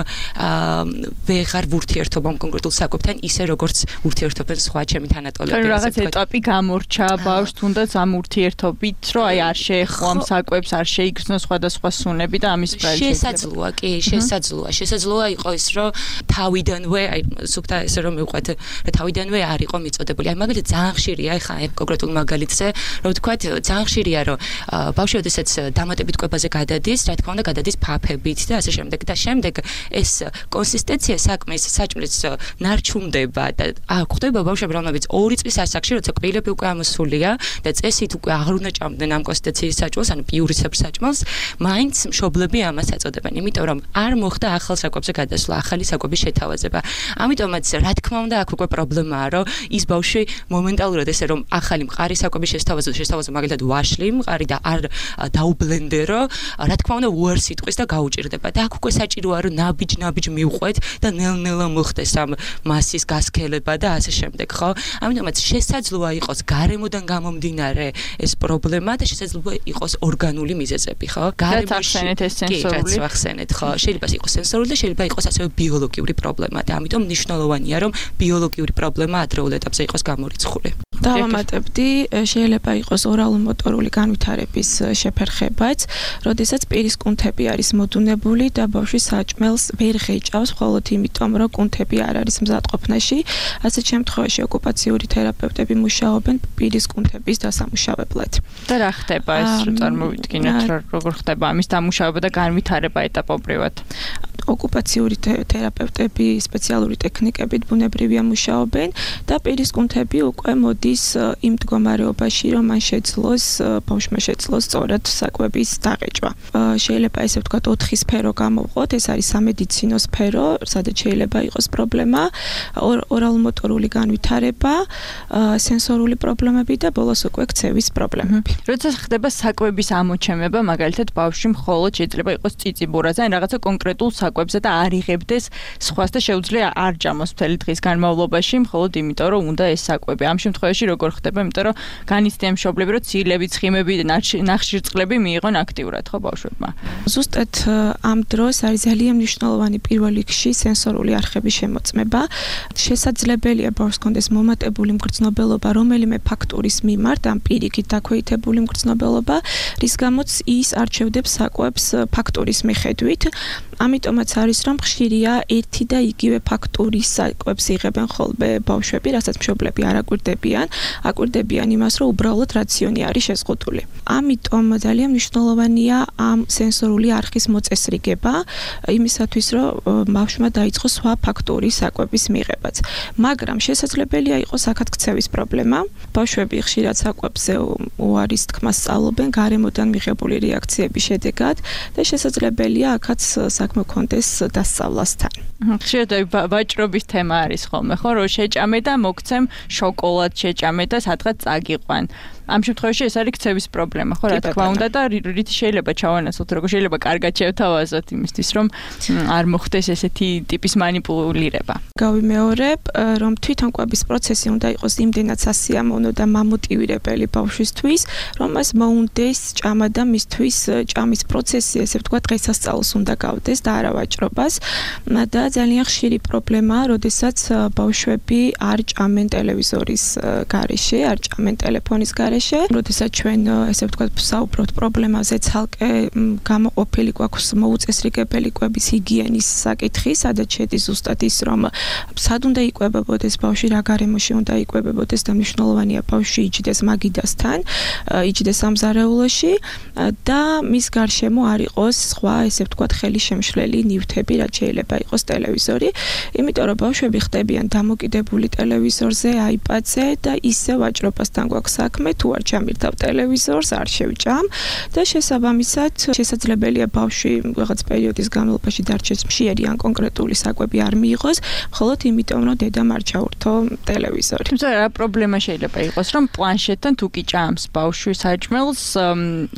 ვეღარ ვურთიერთობ ამ კონკრეტულ საკვებთან ისე როგორც ურთიერთობენ სხვა ჩემი თანატოლები. ანუ რაღაც ეტაპი გამორჩა ბავშვს თუნდაც ამ ურთიერთობით, რომ აი არ შეეხო ამ საკვებს, არ შეიგრძნო სხვადასხვა სუნები და ამის პრობლემა. შესაძლოა, კი, შესაძლოა. შესაძლოა იყო ის, რომ თავიდანვე, აი სუფთა ესე რომ მივყვეთ, რომ თავიდანვე არ იყო მიწოდებული. აი მაგალითად ძალიან ხშირია, ეხა აი კონკრეტულ მაგალითზე, რომ ვთქვათ, ძალიან ხშირია, რომ ბავშვი ოდესაც დამატებით კვებაზე გადადის, რა თქმა უნდა, გადადის ფაფებით და ასე შემდეგ და შემდეგ ეს კონსისტენცია საქმის საჭმლის ნარჩუნდება და ხდება ბავშვები, რომლებიც ორი წლის ასაკში, როცა კბილები უკვე ამოსულია და წესით უკვე აღარ უნდა ჭამდნენ ამ კონსისტენციის საჭმელს, ანუ პიურისებრ საჭმელს, მაინც მშობლები ამას აწოდებენ, იმიტომ რომ არ მოხდა ახალ საკვებზე გადასვლა, ახალი საკვების შეთავაზება. ამიტომაც, რა თქმა უნდა, აქ უკვე პრობლემაა, რომ ის ბავშვი მომენტალურად ესე რომ ახალი მყარი საკვების შესთავაზო შესთავაზო მაგალითად ვაშლი მყარი და არ დაუბლენდერო, რა თქმა უნდა უარს იტყვის და გაუჭირდება და აქ უკვე საჭიროა რომ ნაბიჯ-ნაბიჯ მივყვეთ და ნელ-ნელა მოხდეს ამ მასის გასქელება და ასე შემდეგ, ხო? ამიტომაც შესაძლოა იყოს გარემოდან გამომდინარე ეს პრობლემა და შესაძლოა იყოს ორგანული მიზეზები, ხო? გარემოში ეს სენსორული ვახსენეთ, ხო? შეიძლება იყოს სენსორული და შეიძლება იყოს ასევე ბიოლოგიური პრობლემა და ამიტომ მნიშვნელოვანია რომ ბიოლოგიური პრობლემა ადრეულ ეტაპზე იყოს გამორიცხული. დავამატებდი, შეიძლება იყოს ორალურ-მოტორული განვითარების შეფერხებაც, როდესაც პირის კუნთები არის მოდუნებული და ბავშვი საჭმელს ვერ ღეჭავს, მხოლოდ იმიტომ, რომ კუნთები არ არის მზადყოფნაში. ასეთ შემთხვევაში ოკუპაციური თერაპევტები მუშაობენ პირის კუნთების დასამუშავებლად. და რა ხდება ეს რო წარმოვიდგინოთ, როგორ ხდება ამის დამუშავება და განვითარება ეტაპობრივად? ოკუპაციური თერაპევტები სპეციალური ტექნიკებით ბუნებრივია მუშაობენ და პირის კუნთები უკვე მოდის იმ მდგომარეობაში, რომ მან შეძლოს ბავშვმა შეძლოს სწორად საკვების დაღეჭვა. შეიძლება ესე ვთქვათ ოთხი სფერო გამოვყოთ, ეს არის სამედიცინო სფერო, სადაც შეიძლება იყოს პრობლემა, ორალურ-მოტორული განვითარება, სენსორული პრობლემები და ბოლოს უკვე ქცევის პრობლემები. როცა ხდება საკვების ამოჩემება, მაგალითად ბავშვი მხოლოდ შეიძლება იყოს წიწიბურაზე, ან რაღაცა კონკრეტულ საკვებზე და არ იღებდეს სხვას და შეუძლია არ ჯამოს მთელი დღის განმავლობაში, მხოლოდ იმიტომ რომ უნდა ეს საკვები. ამ შემთხვევაში როგორ ხდება, იმიტომ რომ განიცდიან მშობლები, რომ ცილები, ცხიმები და ნახშირწყლები მიიღონ აქტიურად, ხო ბავშვებმა. ზუსტად ამ დროს არის ძალიან მნიშვნელოვანი პირველ რიგში სენსორული არხების შემოწმება. შესაძლებელია ბავშვს კონდეს მომატებული მგრძნობელობა რომელიმე ფაქტორის მიმართ, ამ პირიქით დაქვეითებული მგრძნობელობა, რის გამოც ის არჩევდებს საკვებს ფაქტორის მიხედვით. ამიტომაც არის რომ ხშირია ერთი და იგივე ფაქტურის საკვებს იღებენ ხოლმე ბავშვები, რასაც მშობლები არ აკვირდებიან, აკვირდებიან იმას, რომ უბრალოდ რაციონი არის შეზღუდული. ამიტომ ძალიან მნიშვნელოვანია ამ სენსორული არხის მოწესრიგება, იმისათვის რომ ბავშვმა დაიწყოს სხვა ფაქტურის საკვების მიღებაც. მაგრამ შესაძლებელია იყოს აქაც ქცევის პრობლემა. ბავშვები ხშირად საკვებზე უარის თქმას სწავლობენ გარემოდან მიღებული რეაქციების შედეგად და შესაძლებელია აქაც საქმე კონდეს დასწავლასთან. ხშირად ვაჭრობის თემა არის ხოლმე, ხო, რომ შეჭამე და მოგცემ შოკოლად შეჭამე და სადღაც წაგიყვან. ამ შემთხვევაში ეს არის ქცევის პრობლემა, ხო, რა თქმა უნდა და რით შეიძლება ჩავანაცვლოთ, როგორ შეიძლება კარგად შევთავაზოთ იმისთვის, რომ არ მოხდეს ესეთი ტიპის манипуლირება. გავიმეორებ, რომ თვითონ კვების პროცესი უნდა იყოს იმდენად სასიამოვნო და მამოტივირებელი ბავშვისთვის, რომ მას მოუნდეს ჭამა და მისთვის ჭამის პროცესი, ესე ვთქვათ, დღესასწაულს უნდა გავდეს და არა ვაჭრობას. და ძალიან ხშირი პრობლემაა, როდესაც ბავშვები არ ჭამენ ტელევიზორის გარეშე, არ ჭამენ ტელეფონის გარეშე. როდესაც ჩვენ ესე ვთქვათ ვსაუბრობთ პრობლემაზე, ცალკე გამოყოფილი გვაქვს მოუწესრიგებელი კვების ჰიგიენის საკითხი, სადაც შედის ზუსტად ის, რომ სად უნდა იკვებებოდეს ბავშვი, რა გარემოში უნდა იკვებებოდეს და მნიშვნელოვანია ბავშვი იჯდეს მაგიდასთან, იჯდეს სამზარეულოში და მის გარშემო არ იყოს სხვა ესე ვთქვათ ხელი შემშლელი ნივთები, რაც შეიძლება იყოს ტელევიზორი, იმიტომ რომ ბავშვები ხდებიან დამოკიდებული ტელევიზორზე, აიპადზე და ისე ვაჭრობასთან გვაქვს საქმე, თუ არ ჩამირთავ ტელევიზორს, არ შევჭამ და შესაბამისად შესაძლებელია ბავშვი რაღაც პერიოდის განმავლობაში დარჩეს მშიერი ან კონკრეტული საკვები არ მიიღოს, მხოლოდ იმიტომ რომ დედამ არ ჩაურთო ტელევიზორი. თუმცა რა პრობლემა შეიძლება იყოს, რომ პლანშეტთან თუ კი ჭამს ბავშვი საჭმელს,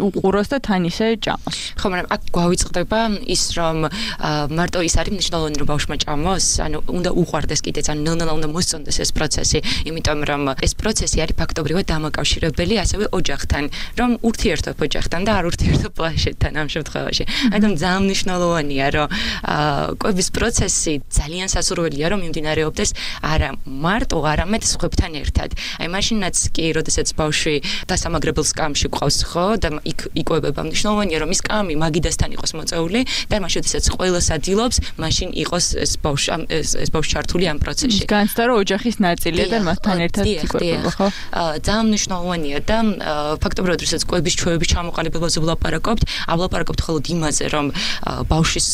უყუროს და თან ისე ჭამოს. ხო, მაგრამ აქ გვავიწყდება ის, რომ მარტო ის არის მნიშვნელოვანი რომ ბავშვმა ჭამოს, ანუ უნდა უყვარდეს კიდეც, ანუ ნელ-ნელა უნდა მოსწონდეს ეს პროცესი, იმიტომ რომ ეს პროცესი არის ფაქტობრივად დამაკავშირებელი ასევე ოჯახთან, რომ ურთიერთობ ოჯახთან და არ ურთიერთობ პლანშეტთან ამ შემთხვევაში. ამიტომ ძალიან მნიშვნელოვანია, რომ კვების პროცესი ძალიან სასურველია, რომ მიმდინარეობდეს არა მარტო, არამედ სხვებთან ერთად. აი მაშინაც კი, როდესაც ბავშვი დასამაგრებელ სკამში ყავს, ხო, და იქ იკვებება, მნიშვნელოვანია, რომ ის სკამი მაგიდასთან იყოს მოწეული და მაშინ, როდესაც ყველას ადილობს, მაშინ იყოს ეს ბავშვი ეს ბავშვი ჩართული ამ პროცესში. განცდა რომ ოჯახის ნაწილია და მასთან ერთად იკვებება, ხო? ძალიან მნიშვნელოვანია და ფაქტობრივად, როდესაც კვების ჩვევების ჩამოყალიბებაზე ვლაპარაკობთ, ავლაპარაკობთ მხოლოდ იმაზე, რომ ბავშვის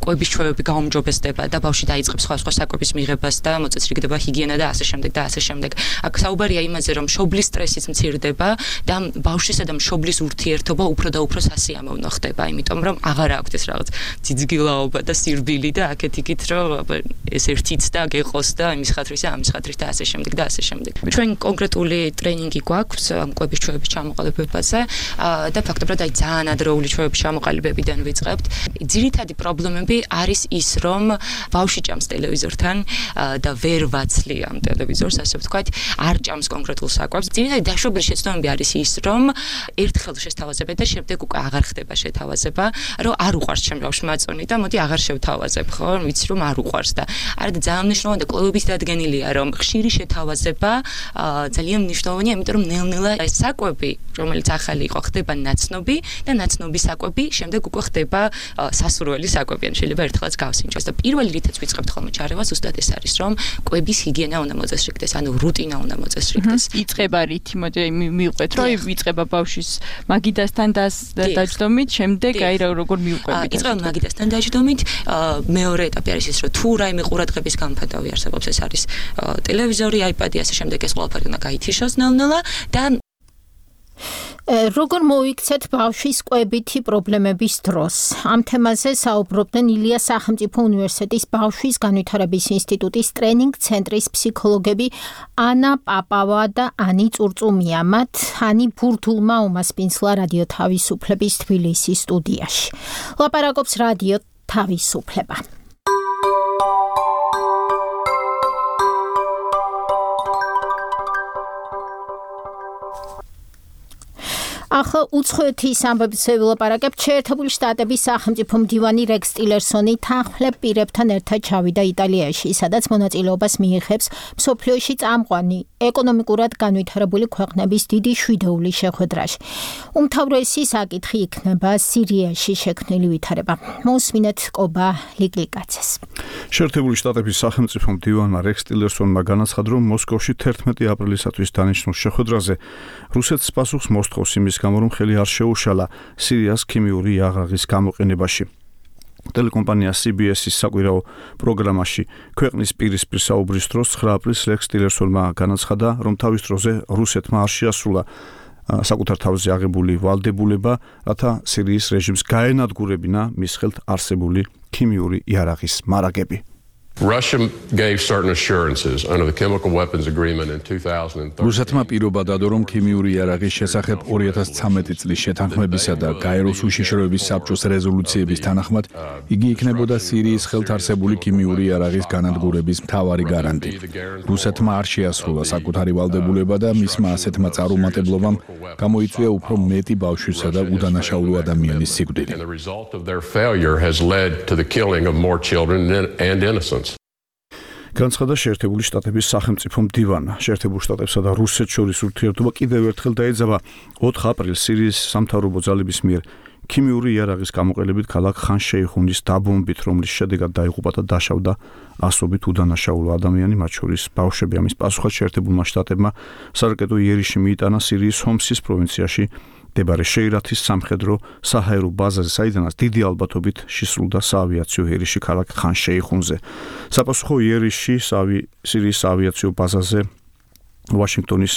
კვების ჩვევები გაუმჯობესდება და ბავშვი დაიწყებს სხვა სხვა საკვების მიღებას და მოწესრიგდება ჰიგიენა და ასე შემდეგ და ასე შემდეგ. აქ საუბარია იმაზე, რომ მშობლის სტრესიც მცირდება და ბავშვისა და მშობლის ურთიერთობა უფრო და უფრო სასიამოვნო ხდება, იმიტომ რომ აღარ აქვს ეს რაღაც ძიძგილაობა და სირბილი და აქეთ-იქით გითხრით, რომ ეს ერთიც და გეყოს და იმის ხათრისა, ამის ხათრის და ასე შემდეგ და ასე შემდეგ. ჩვენ კონკრეტული ტრეინინგი გვაქვს ამ კვების ჩვეების ჩამოყალიბებაზე და ფაქტობრივად აი ძალიან ადრეული ჩვეების ჩამოყალიბებიდან ვიწყებთ. ძირითადი პრობლემები არის ის, რომ ბავშვი ჭამს ტელევიზორთან და ვერ ვაცლია ამ ტელევიზორს, ასე ვთქვათ, არ ჭამს კონკრეტულ საკვებს. ძირითადი დაშვებული შეცდომები არის ის, რომ ერთხელ შეთავაზებენ და შემდეგ უკვე აღარ ხდება შეთავაზება, რომ არ უყვარს ჩემ ბავშვმა აწონი და მოდი აღარ შევთავაზებ, ხო? ვიცი რომ არ უყვარს და არა და ძალიან მნიშვნელოვანი და კვლევებით დადგენილია, რომ ხშირი შეთავაზება ძალიან მნიშვნელოვანია, იმიტომ რომ ნელ-ნელა ეს საკვები, რომელიც ახალი იყო, ხდება ნაცნობი და ნაცნობი საკვები შემდეგ უკვე ხდება სასურველი საკვები, ან შეიძლება ერთხელაც გავსინჯოს და პირველი რითაც ვიწყებთ ხოლმე ჩარევას, უბრალოდ ეს არის, რომ კვების ჰიგიენა უნდა მოწესრიგდეს, ანუ რუტინა უნდა მოწესრიგდეს. იწყება რითი, მოდი მივყვეთ, რომ იწყება ბავშვის მაგიდასთან დაჯდომით, შემდეგ აი როგორ მივყვებით. იწყება მაგიდასთან დაჯდომით, მეორე ეტაპი არის ის, რომ თუ რაიმე ყურადღების გამოფენდავი არსებობს, ეს არის ტელევიზორი, აიპადი, ასე შემდეგ ეს ყველაფერი უნდა გაითიშოს ნელ-ნელა და როგორ მოიქცეთ ბავშვის კვებითი პრობლემების დროს? ამ თემაზე საუბრობდნენ ილიას სახელმწიფო უნივერსიტეტის ბავშვის განვითარების ინსტიტუტის ტრენინგ ცენტრის ფსიქოლოგები ანა პაპავა და ანი წურწუმია. მათ ანი ბურთულმა უმასპინძლა რადიო თავისუფლების თბილისის სტუდიაში. ლაპარაკობს რადიო თავისუფლება. ახლა უცხოეთის ამბებზე ვილაპარაკებთ. შეერთებული შტატების სახელმწიფო მდივანი რექს ტილერსონი თანხმლებ პირებთან ერთად ჩავიდა იტალიაში, სადაც მონაწილეობას მიიღებს მსოფლიოში წამყვანი ეკონომიკურად განვითარებული ქვეყნების დიდი შვიდეულის შეხვედრაში. უმთავრესი საკითხი იქნება სირიაში შექმნილი ვითარება. მოусმინეთ კობა ლიკლიკაცეს. შეერთებული შტატების სახელმწიფო მდივანმა რექს ტილერსონმა განაცხადა, რომ მოსკოვში თერთმეტი აპრილისათვის დანიშნულ შეხვედრაზე რუსეთს პასუხს მოსთხოვს იმის გამო, რომ ხელი არ შეუშალა სირიას ქიმიური იარაღის გამოყენებაში. ტელეკომპანია სი ბი ეს-ის საკვირაო პროგრამაში ქვეყნის პირისპირ საუბრის დროს ცხრა აპრილს რექს ტილერსონმა განაცხადა, რომ თავის დროზე რუსეთმა არ შეასრულა საკუთარ თავზე აღებული ვალდებულება, რათა სირიის რეჟიმს გაენადგურებინა მის ხელთ არსებული ქიმიური იარაღის მარაგები. Russia gave certain assurances under the chemical weapons agreement in two thousand thirteen. რუსეთმა პირობა დადო, რომ ქიმიური იარაღის შესახებ ორი ათას ცხრამეტი წლის შეთანხმებისა და გაეროს უშიშროების საბჭოს რეზოლუციების თანახმად იგი იქნებოდა სირიის ხელთ არსებული ქიმიური იარაღის განადგურების მთავარი გარანტი. რუსეთმა არ შეასრულა საკუთარი ვალდებულება და მისმა ასეთმა წარუმატებლობამ გამოიწვია უფრო მეტი ბავშვისა და უდანაშაულო ადამიანის სიკვდილი. The result of their failure has led to the killing of more children and innocents. განცხადა შეერთებული შტატების სახელმწიფო მდივანმა. შეერთებულ შტატებსა და რუსეთს შორის ურთიერთობა კიდევ ერთხელ დაეძაბა ოთხ აპრილს სირიის სამთავრობო ძალების მიერ ქიმიური იარაღის გამოყენებით ქალაქ ხან-შეიხუნის დაბომბით, რომლის შედეგად დაიღუპა და დაშავდა ასობით უდანაშაულო ადამიანი, მათ შორის ბავშვები. ამის პასუხად შეერთებულმა შტატებმა სარაკეტო იერიში მიიტანა სირიის ჰომსის პროვინციაში მდებარე შეირათის სამხედრო საჰაერო ბაზაზე, საიდანაც დიდი ალბათობით შესრულდა საავიაციო იერიში ქალაქ ხან-შეიხუნზე. საპასუხო იერიში სირიის საავიაციო ბაზაზე ვაშინგტონის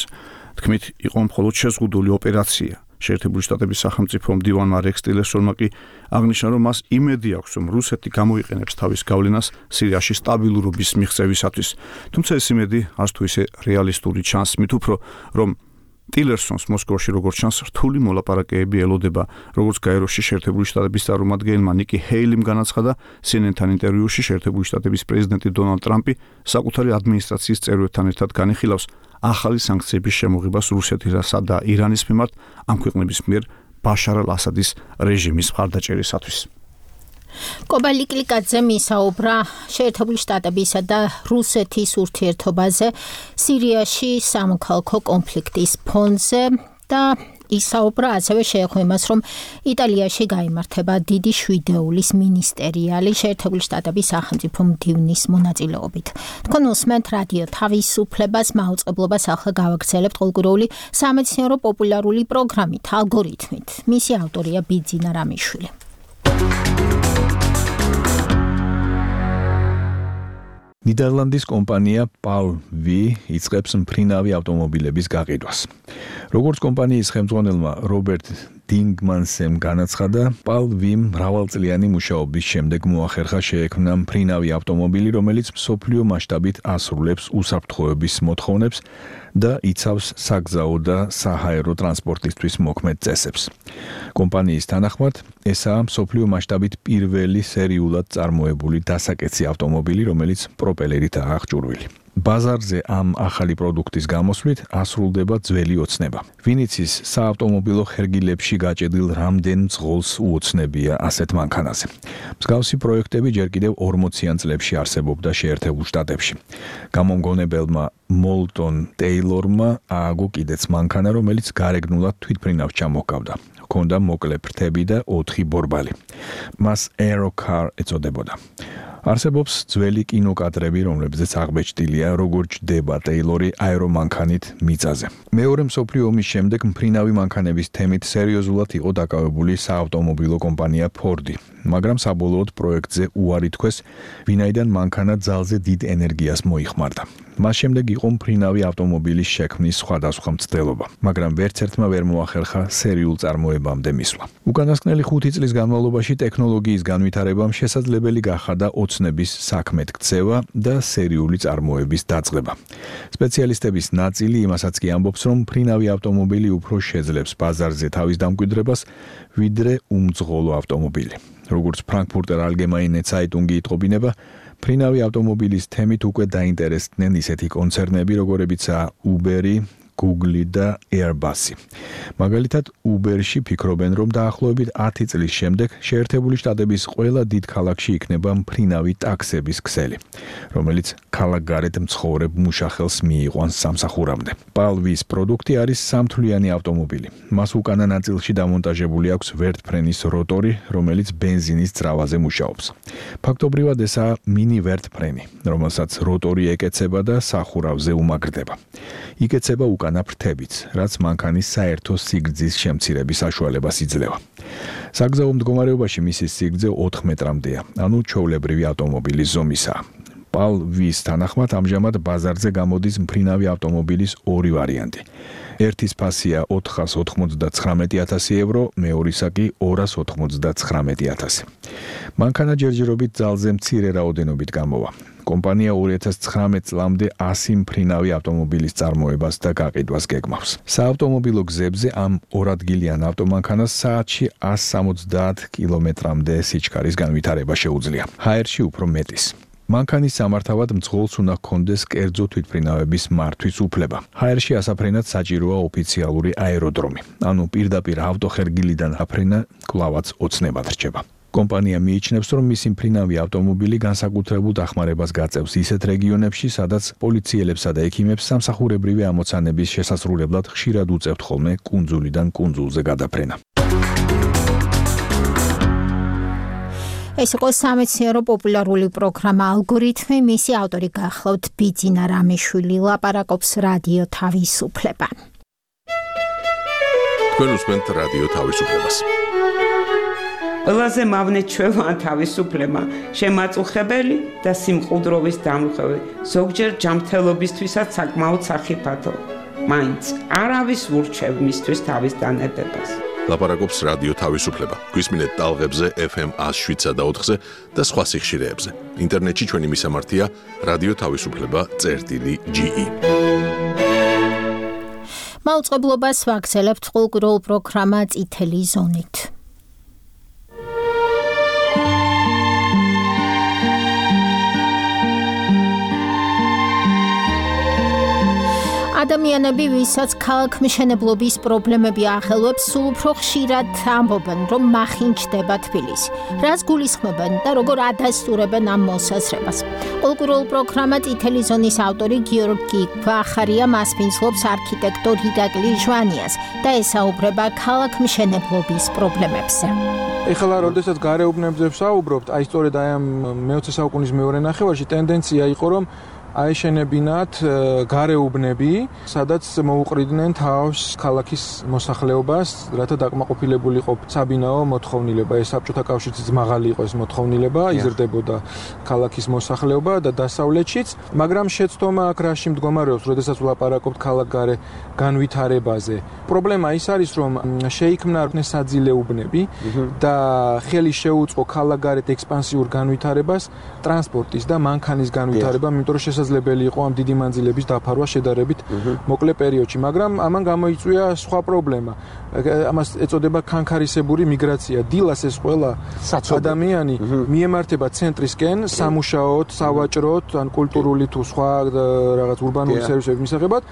თქმით იყო მხოლოდ შეზღუდული ოპერაცია. შეერთებული შტატების სახელმწიფო მდივანმა რექს ტილერსონმა კი აღნიშნა, რომ მას იმედი აქვს, რომ რუსეთი გამოიყენებს თავის გავლენას სირიაში სტაბილურობის მიღწევისათვის. თუმცა ეს იმედი არც თუ ისე რეალისტური ჩანს, მით უფრო რომ ტილერსონს მოსკოვში როგორც ჩანს რთული მოლაპარაკებები ელოდება, როგორც გაეროში შეერთებული შტატების წარმომადგენელმა ნიკი ჰეილიმ განაცხადა სი en en-თან ინტერვიუში, შეერთებული შტატების პრეზიდენტი დონალდ ტრამპი საკუთარი ადმინისტრაციის წევრებთან ერთად განიხილავს ახალი სანქციების შემოღებას რუსეთისა და ირანის მიმართ ამ ქვეყნების მიერ ბაშარ ალ-ასადის რეჟიმის მხარდაჭერისათვის. კობა ლიკლიკაძე მისაუბრა შეერთებული შტატებისა და რუსეთის ურთიერთობაზე სირიაში სამოქალაქო კონფლიქტის ფონზე და ისაუბრა ასევე შეეხო იმას, რომ იტალიაში გაიმართება დიდი შვიდეულის მინისტერიალი შეერთებული შტატების სახელმწიფო მდივნის მონაწილეობით. თქვენ უსმენთ რადიო თავისუფლებას, მაუწყებლობას ახლა გავაგრძელებთ ყოველკვირეული სამეცნიერო პოპულარული პროგრამით, ალგორითმით. მისი ავტორია ბიძინა რამიშვილი. ნიდერლანდის კომპანია პაულ ვი იწყებს მფრინავი ავტომობილების გაყიდვას. როგორც კომპანიის ხელმძღვანელმა რობერტ დინგმანსემ განაცხადა, პალვიმ მრავალწლიანი მუშაობის შემდეგ მოახერხა შეექმნა მფრინავი ავტომობილი, რომელიც მსოფლიო მასშტაბით ასრულებს უსაფრთხოების მოთხოვნებს და იცავს საგზაო და საჰაერო ტრანსპორტისთვის მოქმედ წესებს. კომპანიის თანახმად, ესაა მსოფლიო მასშტაბით პირველი სერიულად წარმოებული დასაკეცი ავტომობილი, რომელიც პროპელერითაა აღჭურვილი. ბაზარზე ამ ახალი პროდუქტის გამოსვლით ასრულდება ძველი ოცნება. ვინიცის საავტომობილო ხერგილებში გაჭედილ რამდენ მძღოლს უოცნებია ასეთ მანქანაზე. მსგავსი პროექტები ჯერ კიდევ ორმოციან წლებში არსებობდა შეერთებულ შტატებში. გამომგონებელმა მოლტონ ტეილორმა ააგო კიდეც მანქანა, რომელიც გარეგნულად თვითმფრინავს ჩამოჰგავდა. ჰქონდა მოკლე ფრთები და ოთხი ბორბალი. მას Aerocar ეწოდებოდა. არსებობს ძველი კინოკადრები, რომლებზეც აღბეჭდილია, როგორ ჯდება ტეილორი აერომანქანით მიწაზე. მეორე მსოფლიო ომის შემდეგ მფრინავი მანქანების თემით სერიოზულად იყო დაკავებული საავტომობილო კომპანია Ford-ი, მაგრამ საბოლოოდ პროექტზე უარი თქვეს, ვინაიდან მანქანა ძალზე დიდ ენერგიას მოიხმარდა. მას შემდეგ იყო მფრინავი ავტომობილის შექმნის სხვადასხვა მცდელობა, მაგრამ ვერც ერთმა ვერ მოახერხა სერიულ წარმოებამდე მისვლა. უკანასკნელი ხუთი წლის განმავლობაში ტექნოლოგიის განვითარებამ შესაძლებელი გახადა ოცნების საქმედ ქცევა და სერიული წარმოების დაწყება. სპეციალისტების ნაწილი იმასაც კი ამბობს, რომ მფრინავი ავტომობილი უფრო შეძლებს ბაზარზე თავის დამკვიდრებას, ვიდრე უმძღოლო ავტომობილი. როგორც ფრანკფურტერ ალგემაინე ცაიტუნგი იტყობინება, მფრინავი ავტომობილის თემით უკვე დაინტერესდნენ ისეთი კონცერნები, როგორებიცაა Uber-ი, Google და Airbus-ი. მაგალითად, Uber-ში ფიქრობენ, რომ დაახლოებით ათი წლის შემდეგ შეერთებული შტატების ყველა დიდ ქალაქში იქნება მფრინავი ტაქსების ქსელი, რომელიც ქალაქგარეთ მცხოვრებ მუშახელს მიიყვანს სამსახურამდე. პალვის პროდუქტი არის სამთვლიანი ავტომობილი. მას უკანა ნაწილში დამონტაჟებული აქვს ვერტფრენის როტორი, რომელიც ბენზინის ძრავაზე მუშაობს. ფაქტობრივად ესაა მინი ვერტფრენი, რომელსაც როტორი ეკეცება და სახურავზე უმაგრდება. იკეცება უკანა ფრთებიც, რაც მანქანის საერთო სიგრძის შემცირების საშუალებას იძლევა. საგზაო მდგომარეობაში მისი სიგრძე ოთხ მეტრამდეა, ანუ ჩვეულებრივი ავტომობილის ზომისაა. პალვის თანახმად ამჟამად ბაზარზე გამოდის მფრინავი ავტომობილის ორი ვარიანტი. ერთის ფასია ოთხას ოთხმოცდათხრამეტი ათასი ევრო, მეორისა კი ორას ოთხმოცდათხრამეტი ათასი. მანქანა ჯერჯერობით ძალზე მცირე რაოდენობით გამოვა. კომპანია ორი ათას ცხრამეტ წლამდე ასი მფრინავი ავტომობილის წარმოებას და გაყიდვას გეგმავს. საავტომობილო გზებზე ამ ორადგილიან ავტომანქანას საათში ას სამოცდაათ კილომეტრამდე სიჩქარის განვითარება შეუძლია. ჰაერში უფრო მეტის. მანქანის სამართავად მძღოლს უნდა ჰქონდეს კერძო თვითმფრინავების მართვის უფლება. ჰაერში ასაფრენად საჭიროა ოფიციალური აეროდრომი, ანუ პირდაპირ ავტოხერგილიდან აფრენა კვლავაც ოცნებად რჩება. კომპანია მიიჩნევს, რომ მისი მფრინავი ავტომობილი განსაკუთრებულ დახმარებას გაწევს ისეთ რეგიონებში, სადაც პოლიციელებსა და ექიმებს სამსახურებრივი ამოცანების შესასრულებლად ხშირად უწევთ ხოლმე კუნძულიდან კუნძულზე გადაფრენა. ეს იყო სამეცნიერო პოპულარული პროგრამა ალგორითმი, მისი ავტორი გახლავთ ბიძინა რამიშვილი, ლაპარაკობს რადიო თავისუფლება. თქვენ უსმენთ რადიო თავისუფლებას. ყველაზე მავნე ჩვევაა თავისუფლება, შემაწუხებელი და სიმყუდროვის დამღები, ზოგჯერ ჯანმრთელობისთვისაც საკმაოდ სახიფათო. მაინც არავის ურჩევ მისთვის თავის დანებებას. ლაპარაკობს რადიო თავისუფლება. გვისმინეთ ტალღებზე ეფ ემ ათს შვიდსა და ოთხზე და სხვა სიხშირეებზე. ინტერნეტში ჩვენი მისამართია რადიო თავისუფლება წერტილი ჯი ი. მაუწყებლობას ვაგრძელებთ ყოლკურულ პროგრამა წითელი ზონით. ადამიანები, ვისაც ქალაქმშენებლობის პრობლემები ახელვებს, სულ უფრო ხშირად ამბობენ, რომ მახინჯდება თბილისი. რას გულისხმობენ და როგორ ადასტურებენ ამ მოსაზრებას. ყოლკურულ პროგრამა წითელი ზონის ავტორი გიორგი ვახარია მასპინძლობს არქიტექტორ ირაკლი ჟვანიას და ესაუბრება ქალაქმშენებლობის პრობლემებზე. ეხლა, როდესაც გარეუბნებზე ვსაუბრობთ, აი სწორედ აი ამ მეოცე საუკუნის მეორე ნახევარში ტენდენცია იყო, რომ აეშენებინათ გარეუბნები, სადაც მოუყრიდნენ თავს ქალაქის მოსახლეობას, რათა დაკმაყოფილებულიყო საბინაო მოთხოვნილება. ეს საბჭოთა კავშირიც მაღალი იყო ეს მოთხოვნილება, იზრდებოდა ქალაქის მოსახლეობა და დასავლეთშიც, მაგრამ შეცდომა აქ რაში მდგომარეობს, როდესაც ვლაპარაკობთ ქალაქგარე განვითარებაზე. პრობლემა ის არის, რომ შეიქმნა საძილეუბნები და ხელი შეუწყო ქალაქგარეთ ექსპანსიურ განვითარებას ტრანსპორტის და მანქანის განვითარებამ, იმიტომ რომ შესაძლებელი იყო ამ დიდი მანძილების დაფარვა შედარებით მოკლე პერიოდში, მაგრამ ამან გამოიწვია სხვა პრობლემა. ამას ეწოდება ქანქარისებური მიგრაცია. დილას ეს ყველა ადამიანი მიემართება ცენტრისკენ სამუშაოდ, სავაჭროდ, ან კულტურული თუ სხვა რაღაც ურბანული სერვისების მისაღებად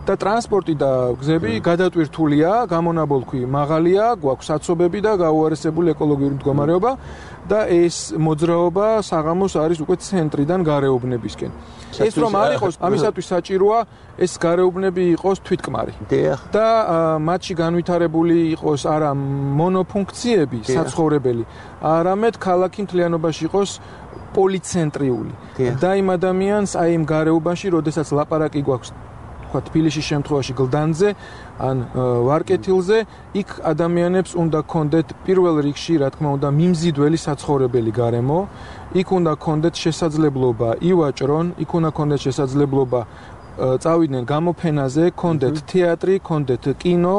და ტრანსპორტი და გზები გადატვირთულია, გამონაბოლქვი მაღალია, გვაქვს საცობები და გაუარესებული ეკოლოგიური მდგომარეობა და ეს მოძრაობა საღამოს არის უკვე ცენტრიდან გარეუბნებისკენ. ეს რომ არ იყოს, ამისათვის საჭიროა ეს გარეუბნები იყოს თვითკმარი. და მათში განვითარებული იყოს არა მონოფუნქციები, საცხოვრებელი, არამედ ქალაქი მთლიანობაში იყოს პოლიცენტრიული. და იმ ადამიანს აი იმ გარეუბანში, როდესაც ლაპარაკი გვაქვს თქვა თბილისის შემთხვევაში გლდანზე ან ვარკეთილზე, იქ ადამიანებს უნდა კონდეთ პირველ რიგში, რა თქმა უნდა, მიმზიდველი საცხოვრებელი გარემო, იქ უნდა კონდეთ შესაძლებლობა ივაჭრონ, იქ უნდა კონდეთ შესაძლებლობა წავიდნენ გამოფენაზე, კონდეთ თეატრი, კონდეთ კინო,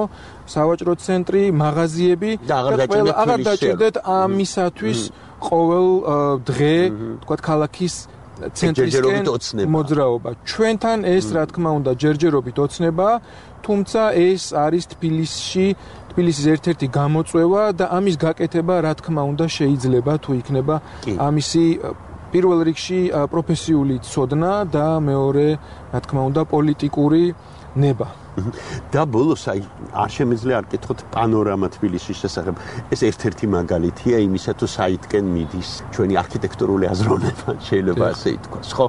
სავაჭრო ცენტრი, მაღაზიები და აღარ დაჭირდეთ ამისათვის ყოველ დღე, თქვა ქალაქის ცენტრისკენ მოძრაობა. ჩვენთან ეს რა თქმა უნდა ჯერჯერობით ოცნება, თუმცა ეს არის თბილისში, თბილისის ერთ-ერთი გამოწვევა და ამის გაკეთება რა თქმა უნდა შეიძლება თუ იქნება ამისი პირველ რიგში პროფესიული ცოდნა და მეორე რა თქმა უნდა პოლიტიკური ნება. და ბოლოს აი არ შემიძლია არ კითხოთ პანორამა თბილისის შესახებ. ეს ერთ-ერთი მაგალითია იმისა, თუ საითკენ მიდის ჩვენი არქიტექტურული აზროვნება, შეიძლება ასე ითქვას, ხო?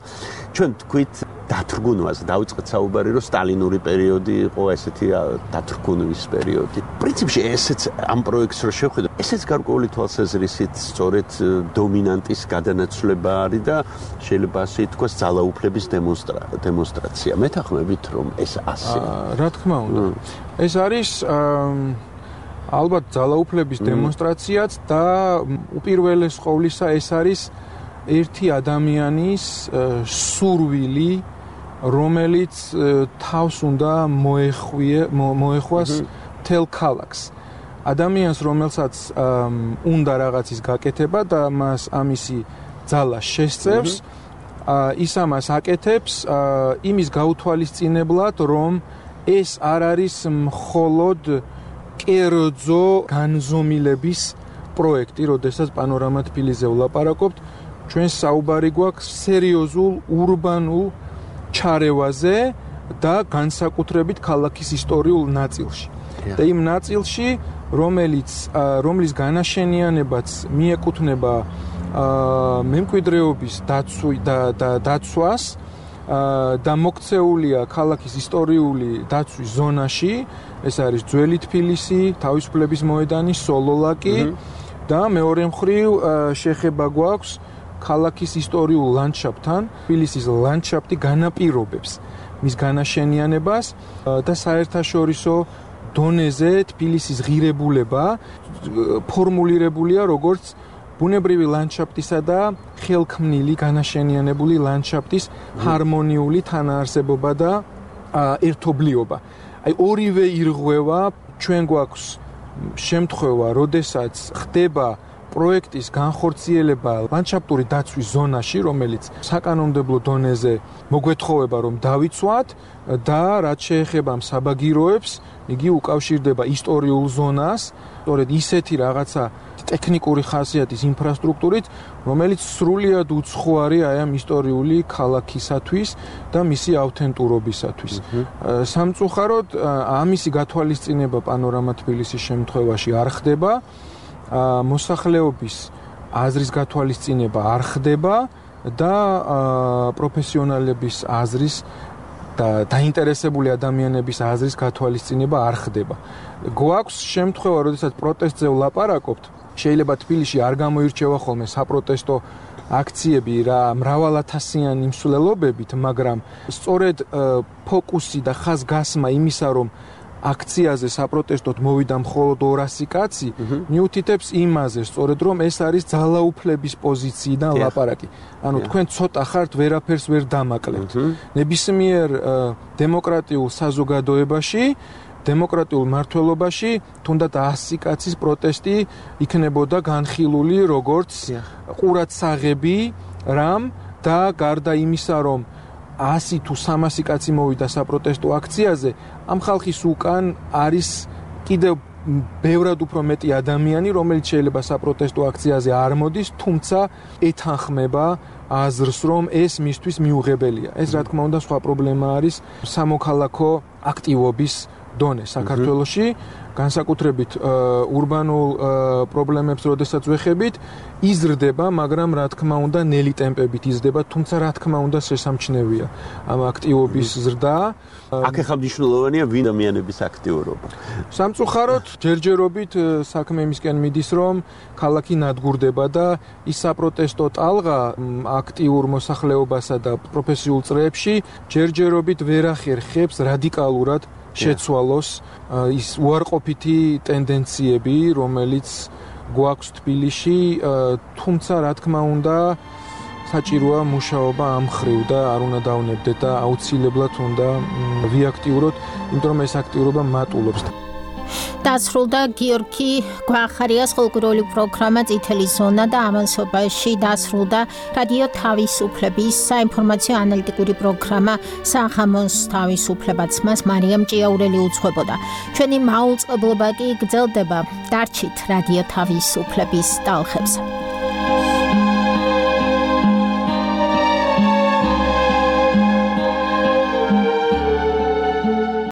ჩვენ თქვით დათრგუნვას, დავიწყეთ საუბარი, რომ სტალინური პერიოდი იყო ესეთი დათრგუნვის პერიოდი. პრინციპში ესეც ამ პროექტს რო შევხედოთ, ესეც გარკვეული თვალსაზრისით სწორედ დომინანტის გადანაცვლება არის და შეიძლება ასე ითქვას ძალაუფლების დემონსტრაცია. მეთანხმებით, რომ ეს ასეა. რა თქმა უნდა. ეს არის ალბათ ძალაუფლების დემონსტრაციაც და უპირველეს ყოვლისა ეს არის ერთი ადამიანის სურვილი, რომელიც თავს უნდა მოეხვიე მოეხვას თელ ქალაქს. ადამიანს, რომელსაც უნდა რაღაცის გაკეთება და მას ამისი ძალა შესწევს, ის ამას აკეთებს იმის გაუთვალისწინებლად, რომ ეს არ არის მხოლოდ კერძო განზომილების პროექტი, როდესაც პანორამა თბილისზე ვლაპარაკობთ, ჩვენ საუბარი გვაქვს სერიოზულ ურბანულ ჩარევაზე და განსაკუთრებით ქალაქის ისტორიულ ნაწილში. და იმ ნაწილში, რომელიც რომლის განაშენიანებაც მიეკუთვნება მემკვიდრეობის დაცვას და მოქცეულია ქალაქის ისტორიული დაცვის ზონაში, ეს არის ძველი თბილისი, თავისუფლების მოედანი, სოლოლაკი და მეორე მხრივ შეხება გვაქვს ქალაქის ისტორიულ ლანდშაფტთან. თბილისის ლანდშაფტი განაპირობებს მის განაშენიანებას და საერთაშორისო დონეზე თბილისის ღირებულება ფორმულირებულია როგორც ბუნებრივი ლანდშაფტისა და ხელქმნილი განაშენიანებული ლანდშაფტის ჰარმონიული თანაარსებობა და ერთობლიობა. აი ორივე ირღვევა, ჩვენ გვაქვს შემთხვევა, როდესაც ხდება პროექტის განხორციელება ლანდშაფტური დაცვის ზონაში, რომელიც საკანონმდებლო დონეზე მოგვეთხოვება, რომ დავიცვათ და რაც შეეხება საბაგიროებს, იგი უკავშირდება ისტორიულ ზონას, სწორედ ისეთი რაღაცა ტექნიკური ხასიათის ინფრასტრუქტურით, რომელიც სრულიად უცხოარი აი ამ ისტორიული ქალაქისათვის და მისი ავთენტურობისათვის. სამწუხაროდ ამისი გათვალისწინება პანორამა თბილისის შემთხვევაში არ ხდება. მოსახლეობის აზრის გათვალისწინება არ ხდება და პროფესიონალების აზრის და დაინტერესებული ადამიანების აზრის გათვალისწინება არ ხდება. გვაქვს შემთხვევა, როდესაც პროტესტზე ვლაპარაკობთ, შეიძლება თბილისში არ გამოირჩევა ხოლმე საპროტესტო აქციები რა მრავალათასიანი მსვლელობებით, მაგრამ სწორედ ფოკუსი და ხაზგასმა იმისა, რომ აქციაზე საპროტესტოდ მოვიდა მხოლოდ ორასი კაცი, მიუთითებს იმაზე, სწორედ რომ ეს არის ძალაუფლების პოზიციიდან ლაპარაკი. ანუ თქვენ ცოტა ხართ, ვერაფერს ვერ დამაკლებთ. ნებისმიერ დემოკრატიულ საზოგადოებაში, დემოკრატიულ მართლობაში თუნდაც ასი კაცის პროტესტი იქნებოდა განხილული როგორც ყურადსაღები რამ და გარდა იმისა, რომ ასი თუ სამასი კაცი მოვიდა საპროტესტო აქციაზე, ამ ხალხის უკან არის კიდევ ბევრად უფრო მეტი ადამიანი, რომელიც შეიძლება საპროტესტო აქციაზე არ მოდის, თუმცა ეთანხმება აზრს, რომ ეს მისთვის მიუღებელია. ეს რა თქმა უნდა სხვა პრობლემა არის სამოქალაქო აქტივობის დონე საქართველოში, განსაკუთრებით ურბანულ პრობლემებს როდესაც ვეხებით, იზრდება, მაგრამ რა თქმა უნდა ნელი ტემპებით იზრდება, თუმცა რა თქმა უნდა შესამჩნევია ამ აქტივობის ზრდა. აქ ახლა მნიშვნელოვანია ვინ ადამიანების აქტიურობა. სამწუხაროდ ჯერჯერობით საქმე იმისკენ მიდის, რომ ქალაქი ნადგურდება და ის საპროტესტო ტალღა აქტიურ მოსახლეობასა და პროფესიულ წრეებში ჯერჯერობით ვერ ახერხებს რადიკალურად შეცვალოს ის უარყოფითი ტენდენციები, რომელიც გვაქვს თბილისში, თუმცა რა თქმა უნდა საჭიროა მუშაობა ამ მხრივ და არ უნდა დავნებდეთ და აუცილებლად უნდა ვიაქტიუროთ, იმიტომ რომ ეს აქტიურობა მატულობს. დასრულდა გიორგი გვახარიას ხალხური პროგრამა წითელი ზონა და ამასობაში დასრულდა რადიო თავისუფლების საინფორმაციო ანალიტიკური პროგრამა სახამოს თავისუფლებაც მას მარიამ ჭიაურელი უძღვებოდა. ჩვენი მაუწყებლობა კი გრძელდება. დარჩით რადიო თავისუფლების ტალღებზე.